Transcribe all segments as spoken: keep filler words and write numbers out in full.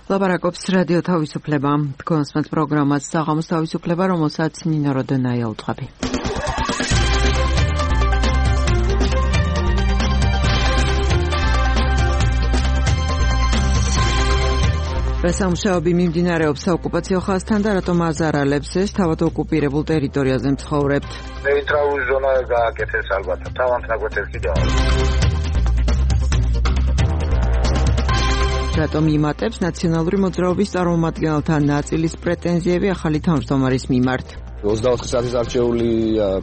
ლაპარაკობს რადიო თავისუფლება. Თქვენს პროგრამას საღამოს თავისუფლება, რომელსაც ნინო როდენაია უძღვები. რასამუშაოები მიმდინარეობს საოკუპაციო ხაზთან და რატომ აზარალებს ეს თავად ოკუპირებულ ტერიტორიაზე მცხოვრებთ? ნეიტრალური ზონა გააკეთეს ალბათ, თავად ნაგვეთეს კიდევ. რატომ იმატებს ნაციონალური მოძრაობის წარმომადგენელთა ნაწილის პრეტენზიები ახალი თავმჯდომარის მიმართ? ოცდაოთხი საათის არჩეული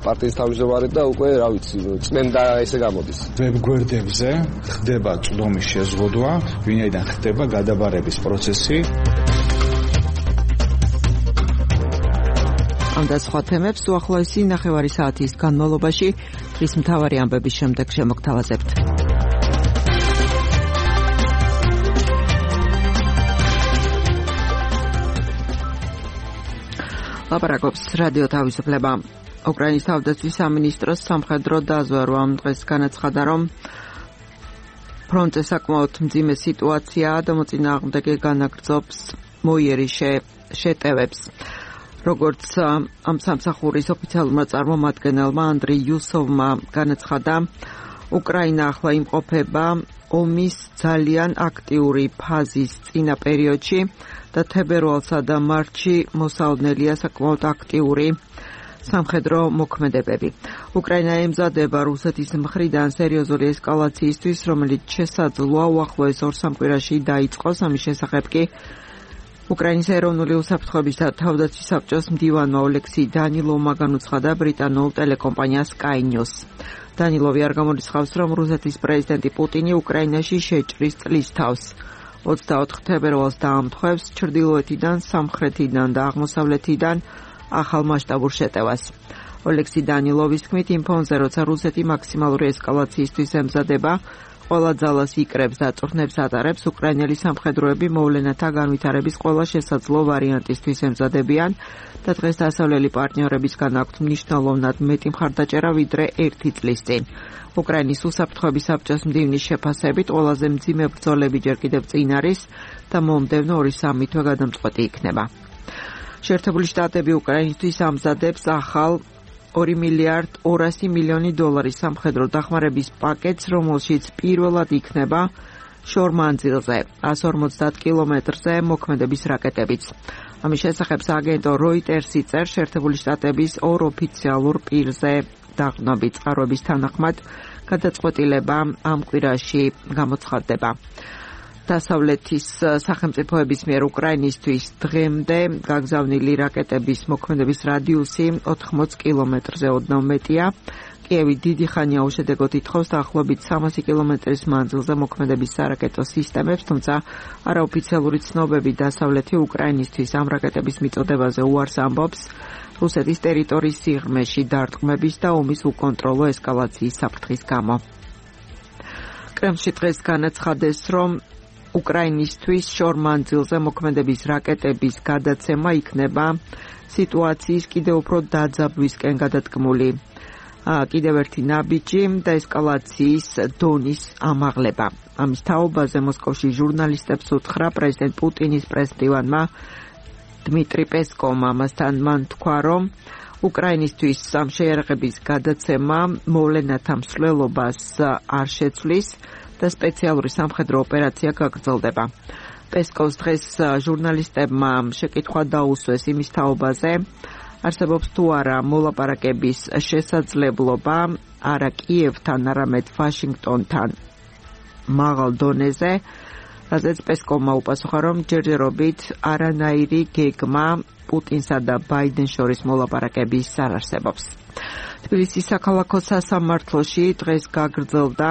პარტიის თავმჯდომარე და უკვე, რა ვიცი, წმენდა ესე გამოდის. ვებგვერდებზე ხდება წვდომის შეზღუდვა, ვინაიდან ხდება გადაბარების პროცესი. ამ და სხვა თემებს უახლოესი ნახევარი საათის განმავლობაში დღის მთავარი ამბების შემდეგ შემოგთავაზებთ. ლაპარაკობს რადიო თავისუფლება. უკრაინის თავდაცვის სამინისტროს სამხედრო დაზვერვა დღეს განაცხადა, რომ ფრონტზე საკმაოდ მძიმე სიტუაციაა და მოწინააღმდეგე განაგრძობს მოიერი შეტევებს. როგორც ამ სამსახურის ოფიციალურმა წარმომადგენელმა ანდრეი იუსოვმა განაცხადა, უკრაინა ახლა იმყოფება ომის ძალიან აქტიური ფაზის წინა პერიოდში და თებერვალსა და მარტში მოსალოდნელია საკმაოდ აქტიური სამხედრო მოქმედებები. უკრაინა ემზადება რუსეთის მხრიდან სერიოზული ესკალაციისთვის, რომელიც შესაძლოა უახლოეს ორ სამკვირაში დაიწყოს. ამის შესახებ კი უკრაინის ეროვნული უსაფრთხოების და თავდაცვის საბჭოს მდივანმა ოლექსი დანილოვმა განუცხადა ბრიტანულ ტელეკომპანია Sky News. დანილოვი არ გამორიცხავს, რომ რუსეთის პრეზიდენტი პუტინი უკრაინაში შეჭრის წლის თავს. ოცდაოთხ თებერვალს დაამტყვევს ჩრდილოეთიდან, სამხრეთიდან და აღმოსავლეთიდან ახალ მასშტაბურ შეტევას. ოლექსი დანილოვის თქმით, იმ ფონზე, როცა რუსეთი მაქსიმალური ესკალაციისთვის ემზადება, ყველა ძალას იკრებს და წვრთნებს ატარებს, უკრაინელი სამხედროები მოვლენათა განვითარების ყველა შესაძლო ვარიანტისთვის ემზადებიან და დღეს დასავლელი პარტნიორებისგან აქვთ მნიშვნელოვნად მეტი მხარდაჭერა ვიდრე ერთი წლის წინ. უკრაინის უსაფრთხოების საბჭოს მდივნის შეფასებით ყველაზე მძიმე ბრძოლები ჯერ კიდევ წინ არის და მომდევნო ორი-სამი თვე გადამწყვეტი იქნება. შეერთებული შტატები უკრაინისთვის ამზადებს ახალ ორი მილიარდ ორასი მილიონი დოლარის სამხედრო დახმარების პაკეტს, რომელშიც პირველად იქნება შორმანძილზე ას ორმოცდაათ კილომეტრზე მოქმედების რაკეტებიც. ამის შესახებ სააგენტო როიტერსი წერს, შეერთებული შტატების ორ ოფიციალურ პირზე დაყრდნობით წყაროების თანახმად გადაწყვეტილება ამ კვირაში გამოცხადდება. დასავლეთის სახელმწიფოების მიერ უკრაინისთვის დღემდე გაგზავნილი რაკეტების მოქმედების რადიუსი ოთხმოც კილომეტრზე ოდნავ მეტია. კიევი დიდი ხანია უშედეგოდ ითხოვს დაახლოებით სამასი კილომეტრის მანძილზე მოქმედების სარაკეტო სისტემებს, თუმცა არაოფიციალური ცნობები დასავლეთი უკრაინისთვის ამ რაკეტების მიწოდებაზე უარს ამბობს რუსეთის ტერიტორიის სიღრმეში დარტყმების და ომის უკონტროლო ესკალაციის საფრთხის გამო. კრემლში დღეს განაცხადეს, რომ უკრაინისთვის შორმანძილზე მოქმედების რაკეტების გადაცემა იქნება სიტუაციის კიდევ უფრო დაძაბვისკენ გადადგმული კიდევ ერთი ნაბიჯი და ესკალაციის დონის ამაღლება. ამის თაობაზე მოსკოვში ჟურნალისტებს უთხრა პრეზიდენტ პუტინის პრესმდივანმა დმიტრი პესკოვმა. ამასთან მან თქვა, რომ უკრაინისთვის ამ შეიარაღების გადაცემა მოვლენათა მსვლელობას არ შეცვლის და სპეციალური სამხედრო ოპერაცია გაგრძელდება. პესკოვს დღეს ჟურნალისტებმა შეკითხვა დაუსვეს იმის თაობაზე, არსებობს თუ არა მოლაპარაკების შესაძლებლობა არა კიევთან, არამედ ვაშინგტონთან მაღალ დონეზე, რაზეც პესკოვმა უპასუხა, რომ ჯერჯერობით არანაირი გეგმა პუტინსა და ბაიდენს შორის მოლაპარაკების არ არსებობს. თბილისის საქალაქო სასამართლოში დღეს გაგრძელდა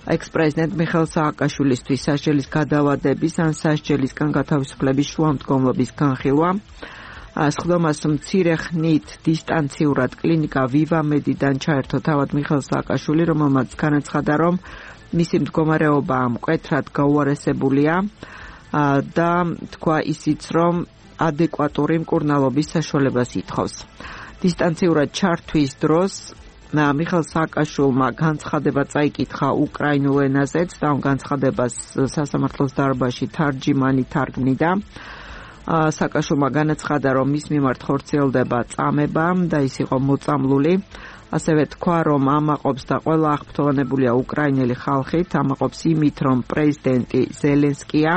ექს-პრეზიდენტ მიხეილ სააკაშვილისთვის სასჯელის გადავადების ან სასჯელისგან გათავისუფლების შუამდგომლობის განხილვა. სხდომას მცირე ხნით დისტანციურად კლინიკა ვივამედიდან ჩაერთო თავად მიხეილ სააკაშვილი, რომელმაც განაცხადა, რომ მისი მდგომარეობა მკვეთრად გაუარესებულია და თქვა ისიც, რომ ადეკვატური მკურნალობის საშუალებას ითხოვს. დისტანციურად ჩართვის დროს მიხეილ სააკაშვილმა განცხადება წაიკითხა უკრაინულ ენაზეც და ამ განცხადებას სასამართლოს დარბაზში თარჯიმანი თარგმნიდა. სააკაშვილმა განაცხადა, რომ მის მიმართ ხორციელდება წამება და ის იყო მოწამლული. ასევე თქვა, რომ ამაყობს და ყველა აღფრთოვანებულია უკრაინელი ხალხით, ამაყობს იმით, რომ პრეზიდენტი ზელენსკია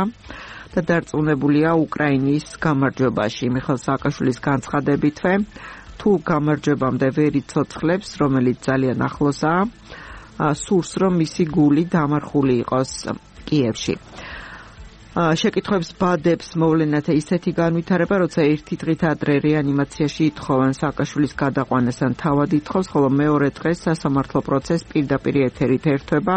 და დარწმუნებულია უკრაინის გამარჯვებაში. მიხეილ სააკაშვილის განცხადებითვე, თუ გამარჯვებამდე ვერ იცოცხლებს, რომელიც ძალიან ახლოსაა, სურს, რომ მისი გული დამარხული იყოს კიევში. შეკითხვებს ბადებს მოვლენათა ისეთი განვითარება, როცა ერთი დღით ადრე რეანიმაციაში ითხოვენ სააკაშვილის გადაყვანას ან თავად ითხოვს, ხოლო მეორე დღეს სასამართლო პროცესი პირდაპირ ეთერით ერთვება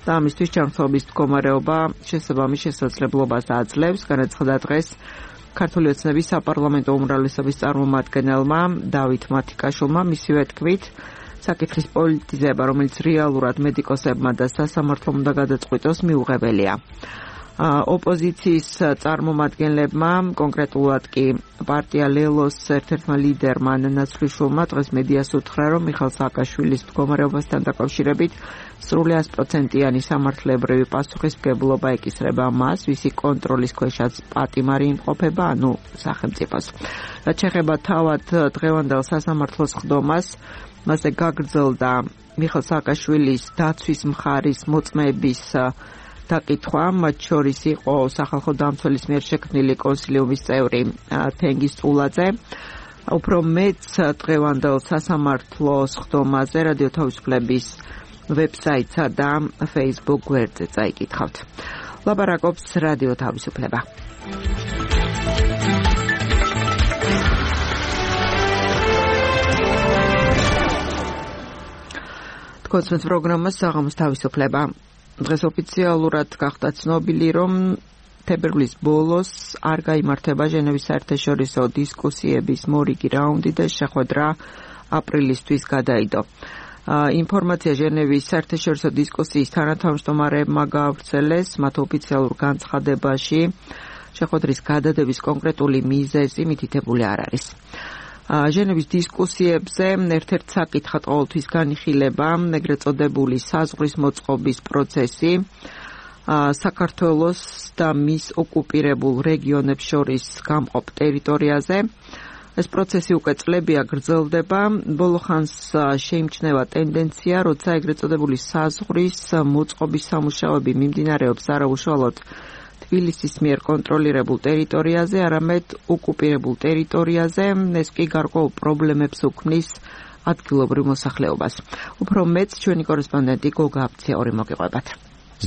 და ამისთვის ჯანმრთელობის მდგომარეობა შესაბამის შესაძლებლობას აძლევს. განაცხადა დღეს ქართული ოცნების საპარლამენტო უმრავლესობის წარმომადგენელმა დავით მათიკაშვილმა, მისივე თქმით, საკითხის პოლიტიზება, რომელიც რეალურად მედიკოსებმა და სასამართლომ უნდა გადაწყვიტოს, მიუღებელია. ოპოზიციის წარმომადგენლებმა, კონკრეტულად კი პარტია ლელოს ერთ-ერთმა ლიდერმა ნაცვლიშვილმა დღეს მედიას უთხრა, რომ მიხეილ სააკაშვილის მდგომარეობასთან დაკავშირებით სრული ას პროცენტიანი სამართლებრივი პასუხისმგებლობა ეკისრება მას, ვისი კონტროლის ქვეშაც პატიმარი იმყოფება, ანუ სახელმწიფოს. რაც შეეხება თავად დღევანდელ სასამართლოს ხდომას, მასზე გაგრძელდა მიხეილ სააკაშვილის დაცვის მხარის მოწმეების დაკითხვა, მათ შორის იყო სახალხო დამცველის მიერ შექმნილი კონსილიუმის წევრი თენგიზ წულაძე. უფრო მეც დღევანდელ სასამართლოს ხდომაზე რადიო თავისუფლების ვებსაიტსა და Facebook გვერდზე წაიკითხავთ. ლაპარაკობს რადიო თავისუფლება. თქვენს პროგრამას საღამოს თავისუფლება. დღეს ოფიციალურად გახდა ცნობილი, რომ თებერვლის ბოლოს არ გაიმართება ჟენევის საერთაშორისო დისკუსიების მორიგი რაუნდი და შეხვედრა აპრილისთვის გადაიდო. ინფორმაცია ჟენევის საერთაშორისო დისკუსიის თანათავმჯდომარეებმა გაავრცელეს მათ ოფიციალურ განცხადებაში. შეხვედრის გადადების კონკრეტული მიზეზი მითითებული არ არის. ჟენევის დისკუსიებზე ერთ-ერთ საკითხად ყოველთვის განიხილება ეგრეთ წოდებული საზღვრის მოწყობის პროცესი საქართველოს და მის ოკუპირებულ რეგიონებს შორის გამყოფ ტერიტორიაზე. ეს პროცესი უკვე წლებია გრძელდება. ბოლო ხანს შეიმჩნევა ტენდენცია, როცა ეგრეთ წოდებული საზღვრის მოწყობის სამუშაოები მიმდინარეობს არაუშუალოდ თბილისის მიერ კონტროლირებულ ტერიტორიაზე, არამედ ოკუპირებულ ტერიტორიაზე, ეს კი გარკვეულ პრობლემებს უქმნის ადგილობრივ მოსახლეობას. უფრო მეც ჩვენი კორესპონდენტი გოგა აფციური მოგიყვებათ.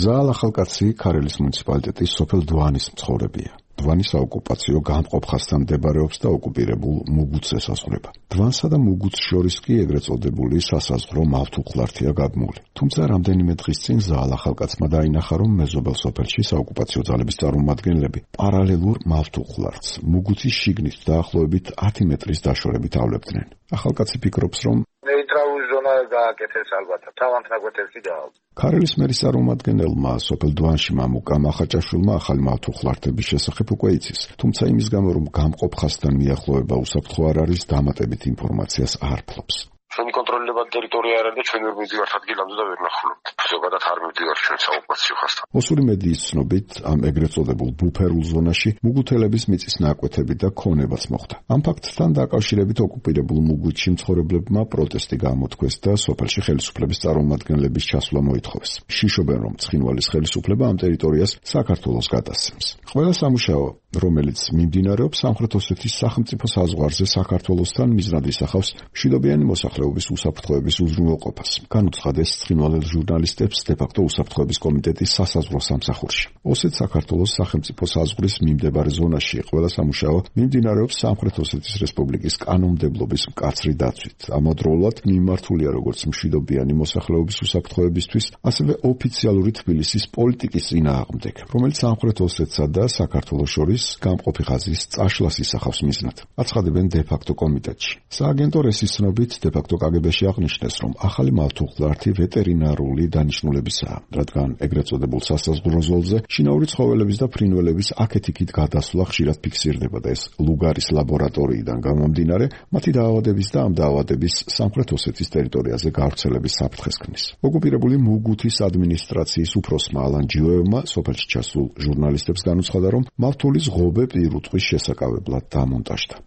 ზაალ ახალკაცი ქარელის მუნიციპალიტეტის სოფელ დვანის მცხოვრებია. დვანის საოკუპაციო გამყოფ ხაზთან მდებარეობს და ოკუპირებულ მუგუცს ესაზღვრება. დვანსა და მუგუცს შორის კი ეგრეთ წოდებული სასაზღვრო მავთუხლართია გადმული. თუმცა რამდენიმე დღის წინ ზაალ ახალკაცმა დაინახა, რომ მეზობელ სოფელში საოკუპაციო ძალების წარმომადგენლები პარალელურ მავთუხლართს მუგუცის შიგნით დაახლოებით ათი მეტრის დაშორებით ავლებდნენ. ახალკაცი ფიქრობს, რომ ნეიტრალური ზონა გააკეთეს ალბათ, თავად ნაგვეთებში დაალ. ქარელის მერის წარმომადგენელმა სოფელ დვანში მამუკამ ახაჭაშვილმა ახალი მავთუხლართების შესახებ უკვე იცის, თუმცა იმის გამო, რომ გამყოფ ხაზთან მიახლოება უსაფრთხო არ არის, დამატებით ინფორმაციას არ ფლობს. ჩვენი კონტროლირებადი ტერიტორია არ არის და ჩვენ ვერ მივდივართ ადგილამდე და ვერ ნახულობთ. ზოგადად არ მივდივართ ჩვენ საოკუპაციო ხაზთან. მოსული მედიის ცნობით, ამ ეგრეთ წოდებულ ბუფერულ ზონაში მუგუთელების მიწის ნაკვეთები და ქონებაც მოხდა. ამ ფაქტთან დაკავშირებით ოკუპირებულ მუგუთში მცხოვრებლებმა პროტესტი გამოთქვეს და სოფელში ხელისუფლების წარმომადგენლების ჩასვლა მოითხოვეს. შიშობენ, რომ ცხინვალის ხელისუფლება ამ ტერიტორიას საქართველოს გადასცემს. ყველა სამუშაო, რომელიც მიმდინარეობს სამხრეთ ოსეთის სახელმწიფო საზღვარზე საქართველოსთან, მიზნად ისახავს მშვიდობიანი მოსახლეობის უსაფრთხოების უზრუნველყოფას. განუცხადეს ცხინვალელ ჟურნალისტებს დე-ფაქტო უსაფრთხოების კომიტეტის სასაზღვრო სამსახურში. ოსეთ საქართველოს სახელმწიფო საზღვრის მიმდებარე ზონაში ყველა სამუშაო მიმდინარეობს სამხრეთ ოსეთის რესპუბლიკის კანონმდებლობის მკაცრი დაცვით. ამავდროულად მიმართულია როგორც მშვიდობიანი მოსახლეობის უსაფრთხოებისთვის, ასევე ოფიციალური თბილისის პოლიტიკის წინააღმდეგ, რომელიც სამხრეთ ოსეთსა და საქართველოს შორის გამყოფი ხაზის წაშლას ისახავს მიზნად. აცხადებენ დე-ფაქტო კომიტეტში. სააგენტო რესის ცნობით, დე-ფაქტო კაგებეში აღნიშნეს, რომ ახალი მავთუხლართი ვეტერინარული დანიშნულებისაა, რადგან ეგრეთ წოდებულ სასაზღვრო ზოლზე შინაური ცხოველების და ფრინველების აქეთ-იქით გადასვლა ხშირად ფიქსირდება და ეს ლუგარის ლაბორატორიიდან გამომდინარე, მათი დაავადების და ამ დაავადების სამხრეთ ოსეთის ტერიტორიაზე გავრცელების საფრთხეს ქმნის. ოკუპირებული მუგუთის ადმინისტრაციის უფროსმა ალან ჯიოევმა სოფელში ჩასულ ჟურნალისტებს განუცხადა, რომ მავთულის ღობე პირუტყვის შესაკავებლად დამონტაჟდა.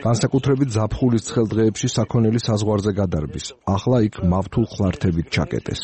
განსაკუთრებით ზაფხულის ცხელ დღეებში საქონელი საზღვარზე გადარბის. ახლა იქ მავთულ ხლართებით ჩაკეტეს.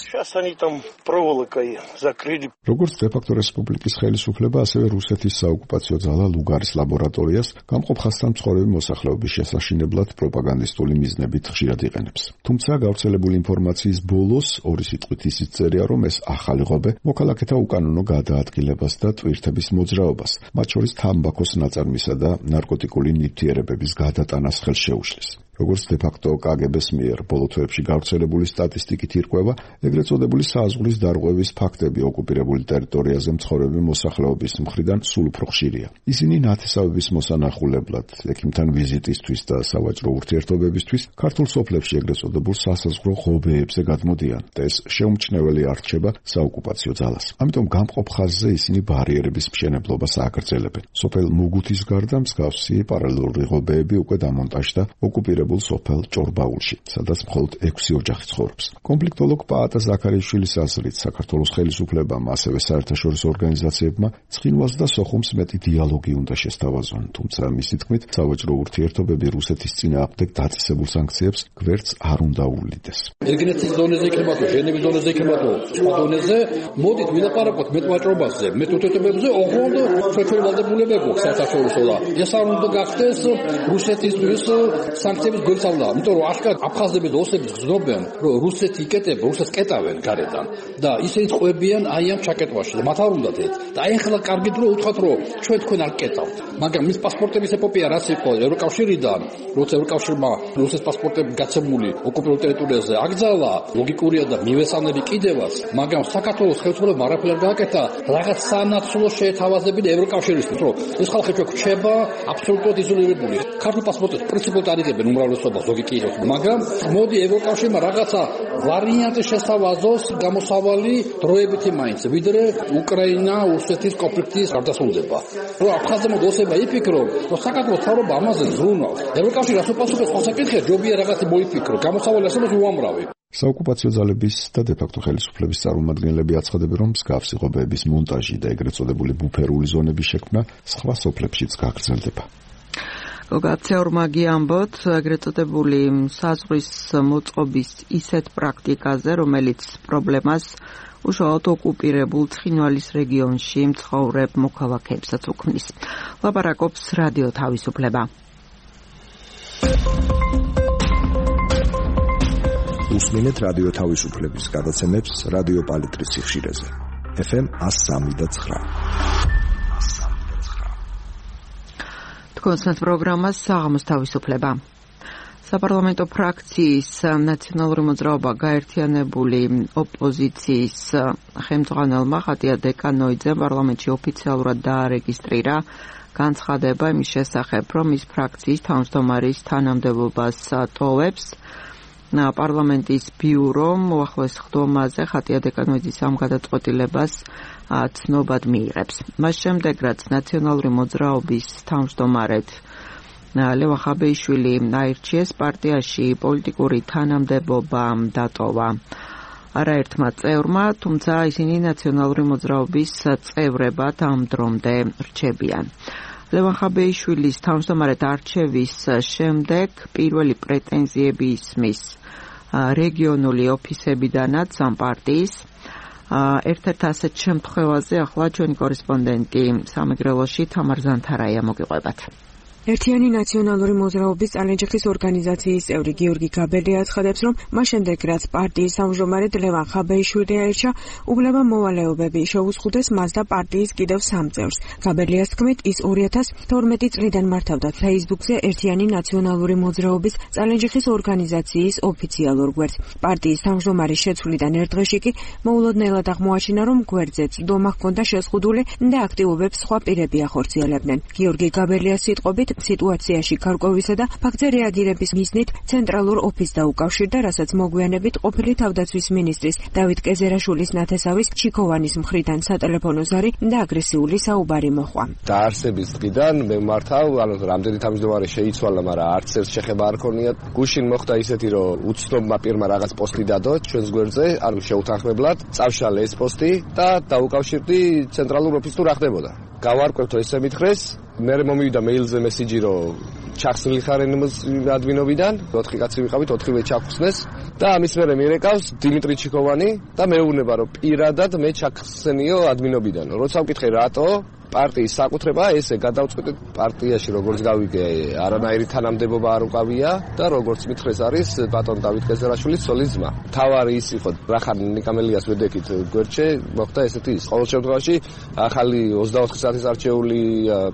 როგორც დე-ფაქტო რესპუბლიკის ხელისუფლება, ასევე რუსეთის საოკუპაციო ძალა ლუგარის ლაბორატორიას გამყოფ ხასთან მცხოვრები მოსახლეობის შესაშინებლად პროპაგანდისტული მიზნებით ხშირად იყენებს. თუმცა გავრცელებული ინფორმაციის ბოლოს ორი სიტყვით ისიც წერია, რომ ეს ახალი ღობე მოქალაქეთა უკანონო გადაადგილებას და ტვირთების მოძრაობას, მათ შორის თამბაქოს ნაწარმისა და ნარკოტიკული ნივთიერებების გადატანას ხელს შეუშლის. როგორც დე-ფაქტო კაგებეს მიერ ბოლო თვეებში გავრცელებული სტატისტიკით ირკვევა, ეგრეთ წოდებული საზღვრის დარღვევის ფაქტები ოკუპირებული ტერიტორიაზე მცხოვრები მოსახლეობის მხრიდან სულ უფრო ხშირია. ისინი ნათესავების მოსანახულებლად, ექიმთან ვიზიტისთვის და სავაჭრო ურთიერთობებისთვის ქართულ სოფლებში ეგრეთ წოდებულ სასაზღვრო ღობეებზე გადმოდიან და ეს შეუმჩნეველი არ რჩება საოკუპაციო ძალას. ამიტომ გამყოფ ხაზზე ისინი ბარიერების მშენებლობას ააგრძელებენ. სოფელ მუგუთის გარდა მსგავსი პარალელური ღობეები უკვე დამონტაჟდა ოკუპირებულ სოფელ ჭორბაულში, სადაც მხოლოდ ექვსი ოჯახი ცხოვრობს. კონფლიქტოლოგ პაატა ზაქარიშვილის აზრით, საქართველოს ხელისუფლებამ, ასევე საერთაშორისო ორგანიზაციებმა ცხინვალს და სოხუმს მეტი დიალოგი უნდა შესთავაზონ, თუმცა მისი თქმით, სავაჭრო ურთიერთობები რუსეთის წინააღმდეგ დაწესებულ სანქციებს გვერდს არ უნდა უვლიდეს. ეგრეთის ზონაზე იქნება თუ ჟენევის ზონაზე იქნება თუ სხვა ზონაზე, მოდით ვილაპარაკოთ მეტ ვაჭრობაზე, მეტ ურთიერთობებზე, ოღონდ ჩვენი ვალდებულებები საერთაშორისო და ეს არ უნდა გახდეს რუსეთისთვის სანქციების გულწავლა, იმიტომ რომ აშკარად აფხაზები და ოსები გრძნობენ, რომ რუსეთი იკეტება, რუსეთს კეტავენ გარედან და ისინი წყვებიან აი ამ ჩაკეტვაში და მათ არ უნდათ ეს. და აი ახლა კარგით რომ უთხრათ, რომ ჩვენ თქვენ არ კეტავთ. მაგრამ მის პასპორტების ეპოპეა რაც იყო ევროკავშირიდან, როცა ევროკავშირმა რუსეთის პასპორტები გაცემული ოკუპირებულ ტერიტორიაზე აკრძალა, ლოგიკურია და მივესალმები კიდევაც, მაგრამ საქართველოს ხელისუფლებამ არაფერი არ გააკეთა, რაღაც სანაცვლო შეეთავაზებინა ევროკავშირისთვის, რომ ეს ხალხი ჩვენ გვჩება აბსოლუტურად იზოლირებული. ქართულ პასპორტებს პრინციპულად არიგებენ უმრავლესობა ზოგი კიდევ, მაგრამ მოდი ევროკავშირმა რაღაცა ვარიანტი შესთავაზოს გამოსავალი დროებითი მაინც, ვიდრე უკრაინა რუსეთის კონფლიქტის გარდასრულდება. რომ აფხაზებმა ოსება იფიქრონ, რომ საქართველოს თავრობა ამაზე ზრუნავს. ევროკავშირი რას უპასუხებს ხოლმე საკითხია, ჯობია რაღაცი მოიფიქრო, გამოსავალი არსებობს უამრავი. საოკუპაციო ძალების და დე-ფაქტო ხელისუფლების წარმომადგენლები აცხადებენ, რომ მსგავსი ღობეების მონტაჟი და ეგრეთ წოდებული ბუფერული ზონების შექმნა სხვა სოფლებშიც გაგრძელდება. გაცეორმაგი ამბოთ ეგრეთ წოდებული საზღვრის მოწყობის ისეთ პრაქტიკაზე, რომელიც პრობლემას უშუალოდ ოკუპირებულ ცხინვალის რეგიონში მცხოვრებ მოქალაქეებსაც უქმნის. ლაპარაკობს რადიო თავისუფლება. უსმინეთ რადიო თავისუფლების გადაცემებს რადიო პალიტრის სიხშირეზე. ეფ ემ one oh three და nine. კონსტანტ პროგრამას საღამოს თავისუფლება. საპარლამენტო ფრაქციის ნაციონალური მოძრაობა გაერთიანებული ოპოზიციის ხელმძღვანელმა ხატია დეკანოიძემ პარლამენტში ოფიციალურად დაარეგისტრირა განცხადება იმის შესახებ, რომ ის ფრაქციის თავმჯდომარის თანამდებობას ტოვებს. პარლამენტის ბიურომ უახლოეს ხდომაზე ხატია დეკანოიძის ამ გადაწყვეტილებას ცნობად მიიღებს. მას შემდეგ, რაც ნაციონალური მოძრაობის თავმჯდომარედ ლევან ხაბეიშვილი აირჩიეს, პარტიაში პოლიტიკური თანამდებობა დატოვა არაერთმა წევრმა, თუმცა ისინი ნაციონალური მოძრაობის წევრებად ამ დრომდე რჩებიან. ლევან ხაბეიშვილის თავმჯდომარედ არჩევის შემდეგ პირველი პრეტენზიები ისმის რეგიონული ოფისებიდანაც ამ პარტიის. ერთ-ერთ ასეთ შემთხვევაზე ახლა ჩვენი კორესპონდენტი სამეგრელოში თამარ ზანთარაია მოგიყვებათ. ერთიანი ნაციონალური მოძრაობის წალენჯიხის ორგანიზაციის წევრი გიორგი გაბელი აცხადებს, რომ მას შემდეგ, რაც პარტიის თავმჯდომარედ ლევან ხაბეიშვილი აირჩა, უბლება მოვალეობები შეუზღუდეს მას და პარტიის კიდევ სამ წევრს. გაბელიას თქმით, ის ორი ათას თორმეტი წლიდან მართავდა Facebook-ზე ერთიანი ნაციონალური მოძრაობის წალენჯიხის ორგანიზაციის ოფიციალურ გვერდს. პარტიის თავმჯდომარის შეცვლიდან ერთ დღეში კი მოულოდნელად აღმოაჩინა, რომ გვერდზე წვდომა ჰქონდა შეზღუდული და აქტივობებს სხვა პირები ახორციელებდნენ. გიორგი გაბელიას სიტყვებით, ამჟამად სიტუაციაში გარკვევისა და ფაქტზე რეაგირების მიზნით ცენტრალურ ოფისს დაუკავშირდა, რასაც მოგვიანებით ყოფილი თავდაცვის მინისტრის დავით კეზერაშვილის ნათესავის ჩიქოვანის მხრიდან სატელეფონო ზარი და აგრესიული საუბარი მოჰყვა. დაარსების დღიდან მე მართავ, ანუ რამდენი თავმჯდომარე შეიცვალა, მაგრამ არც ერთ შეხება არ ქონია. გუშინ მოხდა ისეთი, რომ უცნობმა პირმა რაღაც პოსტი დადო ჩვენს გვერდზე, ანუ შეუთანხმებლად, წავშალე ეს პოსტი და დაუკავშირდი ცენტრალურ ოფისს თუ რა ხდებოდა. გავარკვევთო ესე მითხრეს, მე მომივიდა მეილზე მესიჯი, რომ ჩახსნილი ხარენ ადმინობიდან, ოთხი კაცი ვიყავით, ოთხივე ჩახსნეს და ამის მერე მირეკავს დიმიტრი ჩიქოვანი და მეუბნება, რომ პირადად მე ჩახსენიო ადმინობიდან. როცა ვკითხე რატო, პარტიის საკუთრება ესე გადავწყვეტეთ პარტიაში როგორც გავიგე არანაირი თანამდებობა არ უკავია და როგორც მითხრეს არის ბატონ დავით კეზერაშვილის ცოლის ძმა. თავარი ის იყო რახან ნიკამელიას ვედექით გვერდში მოხდა ესეთი ის. ყოველ შემთხვევაში ახალი ოცდაოთხი საათის არჩეული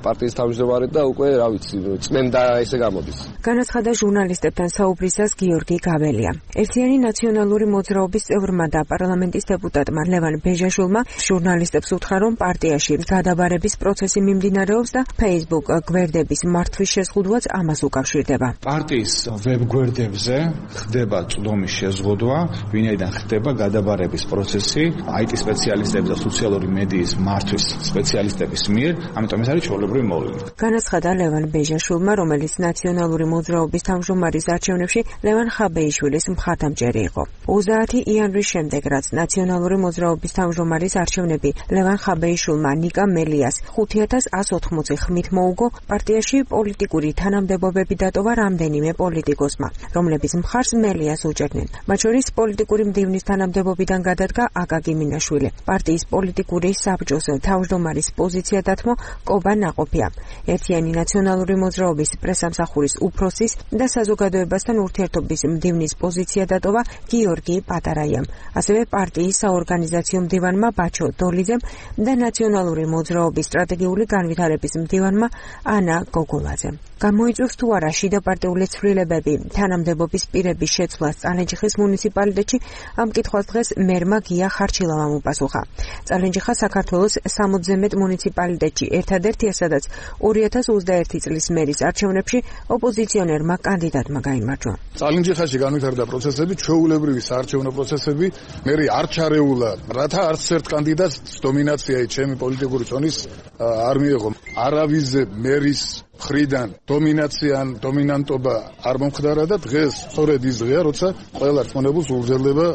პარტიის თავმჯდომარე და უკვე რა ვიცი წმენდა ესე გამოდის. განაცხადა ჟურნალისტებთან საუბრისას გიორგი გაბელია. ერთიანი ნაციონალური მოძრაობის წევრმა და პარლამენტის დეპუტატმა ლევან ბეჟაშვილმა ჟურნალისტებს უთხრა, რომ პარტიაში გადაბარების პროცესი მიმდინარეობს და Facebook გვერდების მართვის შეზღუდვაც ამას უკავშირდება. პარტიის ვებ გვერდებზე ხდება წვდომის შეზღუდვა, ვინაიდან ხდება გადაბარების პროცესი აი ტი სპეციალისტების და სოციალური მედიის მართვის სპეციალისტების მიერ, ამიტომ ეს არის ჩვეულებრივი მოვლენა. განაცხადა ლევან ბეჟაშვილმა, რომელიც ნაციონალური მოძრაობის თავმჯდომარის არჩევნებში ლევან ხაბეიშვილის მხარდამჭერი იყო. ოცდაათი იანვრის შემდეგ, რაც ნაციონალური მოძრაობის თავმჯდომარის არჩევნები ლევან ხაბეიშვილმა ნიკა მელიას ხუთი ათას ათს ოცდაოთხი ხმით მოუგო, პარტიაში პოლიტიკური თანამდებობები დატოვა რამდენიმე პოლიტიკოსმა, რომლებიც მხარს მელიას უჭერდნენ. მათ შორის პოლიტიკური მდივნის თანამდებობიდან გადადგა აკაკი მინაშვილი. პარტიის პოლიტიკური საბჭოს თავმჯდომარის პოზიცია დათმო კობა ნაყოფია. ერთიანი ნაციონალური მოძრაობის პრესამსახურის უფროსის და საზოგადოებასთან ურთიერთობის მდივნის პოზიცია დატოვა გიორგი პატარაიამ. ასევე პარტიის საორგანიზაციო მდივანმა ბაჩო დოლიძემ და ნაციონალური მოძრაობის სტრატეგიული განვითარების მდივანმა ანა გოგოლაძემ. გამოიწვევს თუ არა შიდა პარტიული ცვლილებები თანამდებობის პირების შეცვლას წალენჯიხის მუნიციპალიტეტში, ამ კითხვას დღეს მერმა გია ხარჩილავამ უპასუხა. წალენჯიხა საქართველოს სამოცზე მეტ მუნიციპალიტეტში ერთადერთია, სადაც ორი ათას ოცდაერთი წლის მერის არჩევნებში ოპოზიციონერმა კანდიდატმა გაიმარჯვა. წალენჯიხაში განვითარდა პროცესები, ჩვეულებრივი საარჩევნო პროცესები, მერი არ ჩარეულა, რათა არც ერთ კანდიდატს დომინაცია ჩემი პოლიტიკური წონის არ მიიღო. არავიზე მერის მხრიდან დომინაცია ან დომინანტობა არ მომხდარა და დღეს სწორედ ის დღეა, როცა ყველა რწმუნებულს ურძლება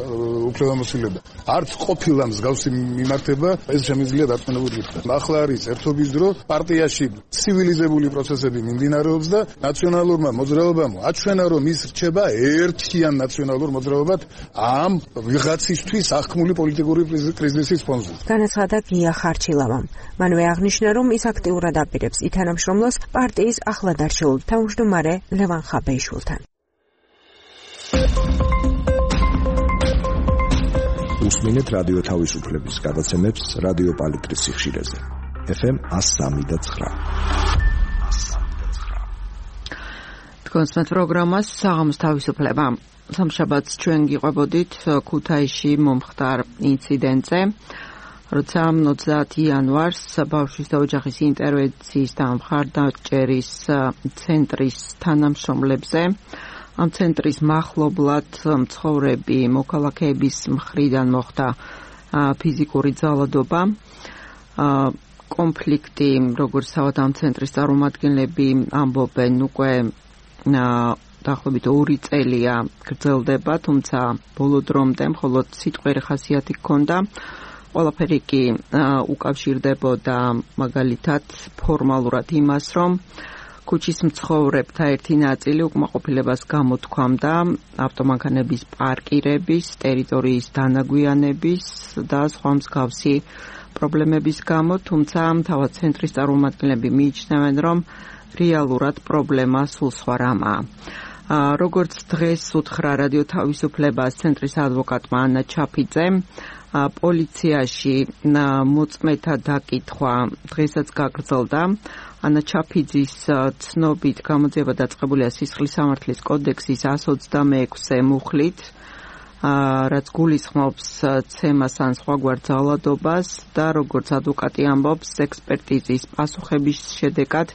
უფლებამოსილება. არც ყოფილა მსგავსი მიმართება, ეს შემიძლია დარწმუნებული გითხრა. ახლა არის ერთობის დრო, პარტიაში ცივილიზებული პროცესები მიმდინარეობს და ნაციონალურმა მოძრაობამ აჩვენა, რომ ის რჩება ერთიან ნაციონალურ მოძრაობად ამ ვიღაცისთვის აღქმული პოლიტიკური კრიზისის ფონზე. განაცხადა გია ხარჩილავამ. მანვე აღნიშნა, რომ ის აქტიურად აპირებს ითანამშრომლოს პარტიის ახლად არჩეულ თავმჯდომარე ლევან ხაბეიშვილთან. უსმინეთ რადიო თავისუფლების გადაცემებს რადიო პალიტრის სიხშირეზე. ეფ ემ one oh three point nine. თქვენს პროგრამას საღამოს თავისუფლება. სამშაბათს ჩვენ გიყვებოდით ქუთაისში მომხდარ ინციდენტზე, როცა ოცდაათი იანვარს ბავშვის და ოჯახის ინტერვენციის და მხარდაჭერის ცენტრის თანამშრომლებზე, ამ ცენტრის მახლობლად მცხოვრები მოქალაქეების მხრიდან მოხდა ფიზიკური ძალადობა, კონფლიქტი, როგორც თავად ამ ცენტრის წარმომადგენლები ამბობენ, უკვე დაახლოებით ორი წელია გრძელდება, თუმცა ბოლო დრომდე მხოლოდ სიტყვიერი ხასიათი ჰქონდა. ყველაფერი კი უკავშირდებოდა მაგალითად ფორმალურად იმას, რომ ქუჩის მცხოვრებთა ერთი ნაწილი უკმაყოფილებას გამოთქვამდა ავტომანქანების პარკირების, ტერიტორიის დანაგვიანების და სხვა მსგავსი პრობლემების გამო, თუმცა თავად ცენტრის წარმომადგენლები მიიჩნევენ, რომ რეალურად პრობლემა სულ სხვა რამაა. როგორც დღეს უთხრა რადიო თავისუფლებას ცენტრის ადვოკატმა ანა ჩაფიძემ, პოლიციაში მოწმეთა დაკითხვა დღესაც გაგრძელდა. ანა ჩაფიძის ცნობით გამოძიება დაწყებულია სისხლის სამართლის კოდექსის one twenty-six მუხლით, რაც გულისხმობს ცემას ან სხვაგვარ ძალადობას და როგორც ადვოკატი ამბობს, ექსპერტიზის პასუხების შედეგად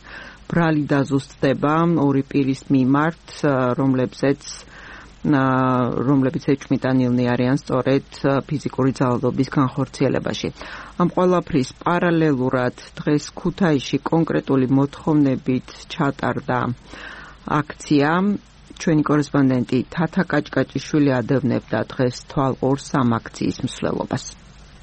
ბრალი დაზუსტდება ორი პირის მიმართ, რომლებზეც რომლებიც ეჭვმიტანილნი არიან სწორედ ფიზიკური ძალადობის განხორციელებაში. ამ ყველაფრის პარალელურად დღეს ქუთაისში კონკრეტული მოთხოვნებით ჩატარდა აქცია. ჩვენი კორესპონდენტი თათა კაჭკაჭიშვილი ადევნებდა დღეს თვალყურს ამ აქციის მსვლელობას.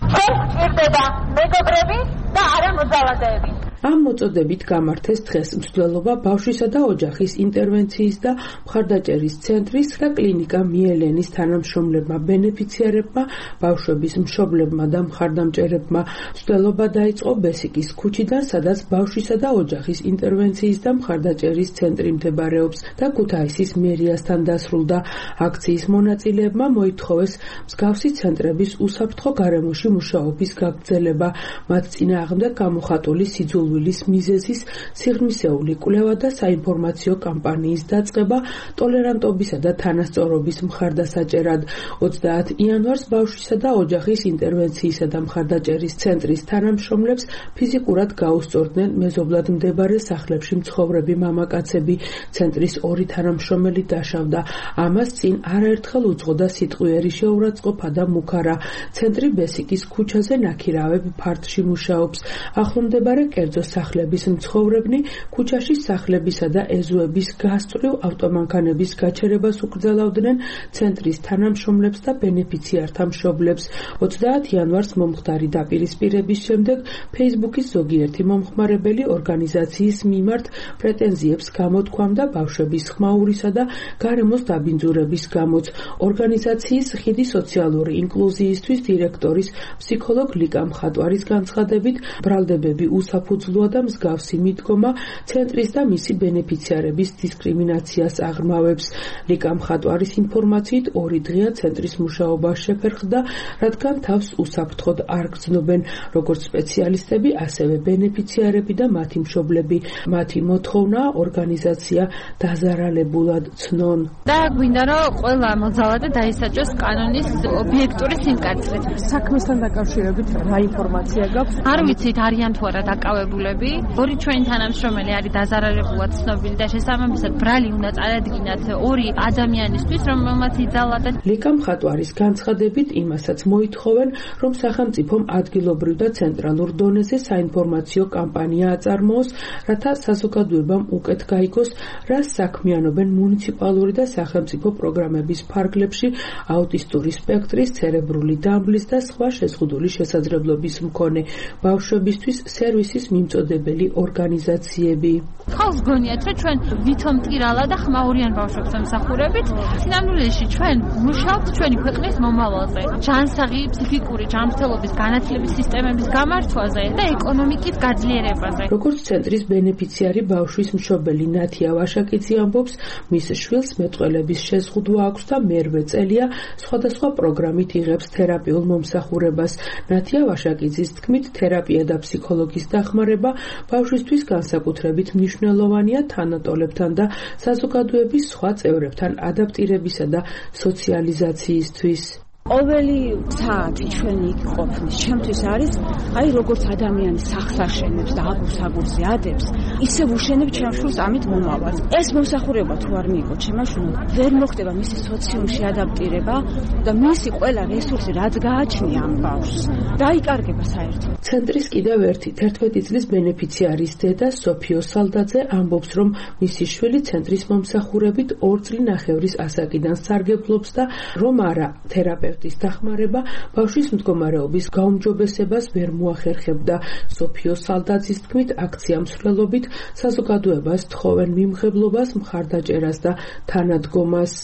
ეს ჭირდება მეგობრები და არა მოძალადეები. ამ მოწოდებით გამართეს დღეს მსვლელობა ბავშვისა და ოჯახის ინტერვენციის და მხარდაჭერის ცენტრის და კლინიკა მიელენის თანამშრომლებმა ბენეფიციარებმა, ბავშვების მშობლებმა და მხარდამჭერებმა. მსვლელობა დაიწყო ბესიკის ქუჩიდან, სადაც ბავშვისა და ოჯახის ინტერვენციის და მხარდაჭერის ცენტრი მდებარეობს და ქუთაისის მერიასთან დასრულდა. აქციის მონაწილეებმა მოითხოვეს მსგავსი ცენტრების უსაფრთხო გარემოში მუშაობის გაგრძელება, მათ წინააღმდეგ გამოხატული სიძულვილის მიზეზის სიღრმისეული კვლევა და საინფორმაციო კამპანიის დაწყება ტოლერანტობისა და თანასწორობის მხარდასაჭერად. ოცდაათ იანვარს ბავშვისა და ოჯახის ინტერვენციისა და მხარდაჭერის ცენტრის თანამშრომლებს ფიზიკურად გაუსწორდნენ მეზობლად მდებარე სახლებში მცხოვრები მამაკაცები. ცენტრის ორი თანამშრომელი დაშავდა. ამას წინ არაერთხელ უძღოდა სიტყვიერი შეურაცხყოფა და მუქარა. ცენტრი ბესიკის ქუჩაზე ნაქირავებ ფართში მუშაობს. ახლომდებარე კერძო სახლების მცხოვრებნი ქუჩაში სახლებისა და ეზოების გასწვრივ ავტომანქანების გაჩერებას უკრძალავდნენ ცენტრის თანამშრომლებს და ბენეფიციართა მშობლებს. ოცდაათ იანვარს მომხდარი დაპირისპირების შემდეგ ფეისბუქის ზოგიერთი მომხმარებელი ორგანიზაციის მიმართ პრეტენზიებს გამოთქვამდა ბავშვების ხმაურისა და გარემოს დაბინძურების გამოც. ორგანიზაციის ხიდი სოციალური ინკლუზიისთვის დირექტორის ფსიქოლოგ ლიკა მხატვარის განცხადებით, ბრალდებები უსაფუძვლოა და მსგავსი მიდგომა ცენტრის და მისი ბენეფიციარების დისკრიმინაციას აღრმავებს. ლიკა მხატვარის ინფორმაციით ორი დღეა ცენტრის მუშაობა შეფერხდა, რადგან თავს უსაფრთხოდ არ გრძნობენ როგორც სპეციალისტები, ასევე ბენეფიციარები და მათი მშობლები. მათი მოთხოვნაა ორგანიზაცია დაზარალებულად ცნონ. და გვინდა რომ ყველა მოძალადე დაისაჯოს კანონის ობიექტური სიმკაცრით. საქმესთან დაკავშირებით რა ინფორმაცია გაქვს? არ ვიცით არიან თუ არა დაკავებულები. ორი ჩვენი თანამშრომელი არის დაზარალებულად ცნობილი და შესაბამისად ბრალი უნდა წარადგინათ ორი ადამიანისთვის, რომელმაც იძალადათ. ლიკა მხატვარის განცხადებით იმასაც მოითხოვენ, რომ სახელმწიფომ ადგილობრივ და ცენტრალურ დონეზე საინფორმაციო კამპანია აწარმოოს, რათა საზოგადოებამ უკეთ გაიგოს, რას საქმიანობენ მუნიციპალური და სახელმწიფო პროგრამების ფარგლებში აუტისტური სპექტრის, ცერებრული დამბლის და სხვა შეზღუდული შესაძლებლობის მქონე ბავშვებისთვის სერვისის მიმწოდებელი ორგანიზაციები. ხალხს გონიათ, რომ ჩვენ ვითომ ტირალა და ხმაურიან ბავშვებს ემსახურებით, სინამდვილეში ჩვენ მუშაობთ ჩვენი ქვეყნის მომავალზე, ჯანსაღი ფსიქიკური ჯანმრთელობის განათლების სისტემების გამართვაზე და ეკონომიკის გაძლიერებაზე. როგორც ცენტრის ბენეფიციარი ბავშვის მშობელი ნათია ვაშაკიძე ამბობს, მის შვილს მეტყველების შეზღუდვა აქვს და მერვე წელია სხვადასხვა პროგრამით იღებს თერაპიულ მომსახურებას. ნათია ვაშაკიძის თქმით, თერაპია და ფსიქოლოგის დახმარება ბავშვისთვის განსაკუთრებით მნიშვნელოვანია თანატოლებთან და საზოგადოების სხვა წევრებთან ადაპტირებისა და სოციალიზაციისთვის. ყოველი საათი ჩვენი იქ ყოფნის ჩემთვის არის აი როგორც ადამიანი სახლს აშენებს და აგურს აგურზე ადებს, ისევ უშენებ ჩემ შვილს ამით მომავალს. ეს მომსახურება თუ არ მიიღო ჩემმა შვილმა, ვერ მოხდება მისი სოციუმში ადაპტირება და მისი ყველა რესურსი რაც გააჩნია ამ ბავშვს დაიკარგება საერთოდ. ცენტრის კიდევ ერთი თერთმეტი წლის ბენეფიციარის დედა სოფიო სალდაძე ამბობს, რომ მისი შვილი ცენტრის მომსახურებით ორ წლინახევრის ასაკიდან სარგებლობს და რომ არა თერაპევტი დახმარება ბავშვის მდგომარეობის გაუმჯობესებას ვერ მოახერხებდა. სოფიო სალდაძის თქმით, აქცია მსვლელობით საზოგადოებას თხოვენ მიმღებლობას, მხარდაჭერას და თანადგომას.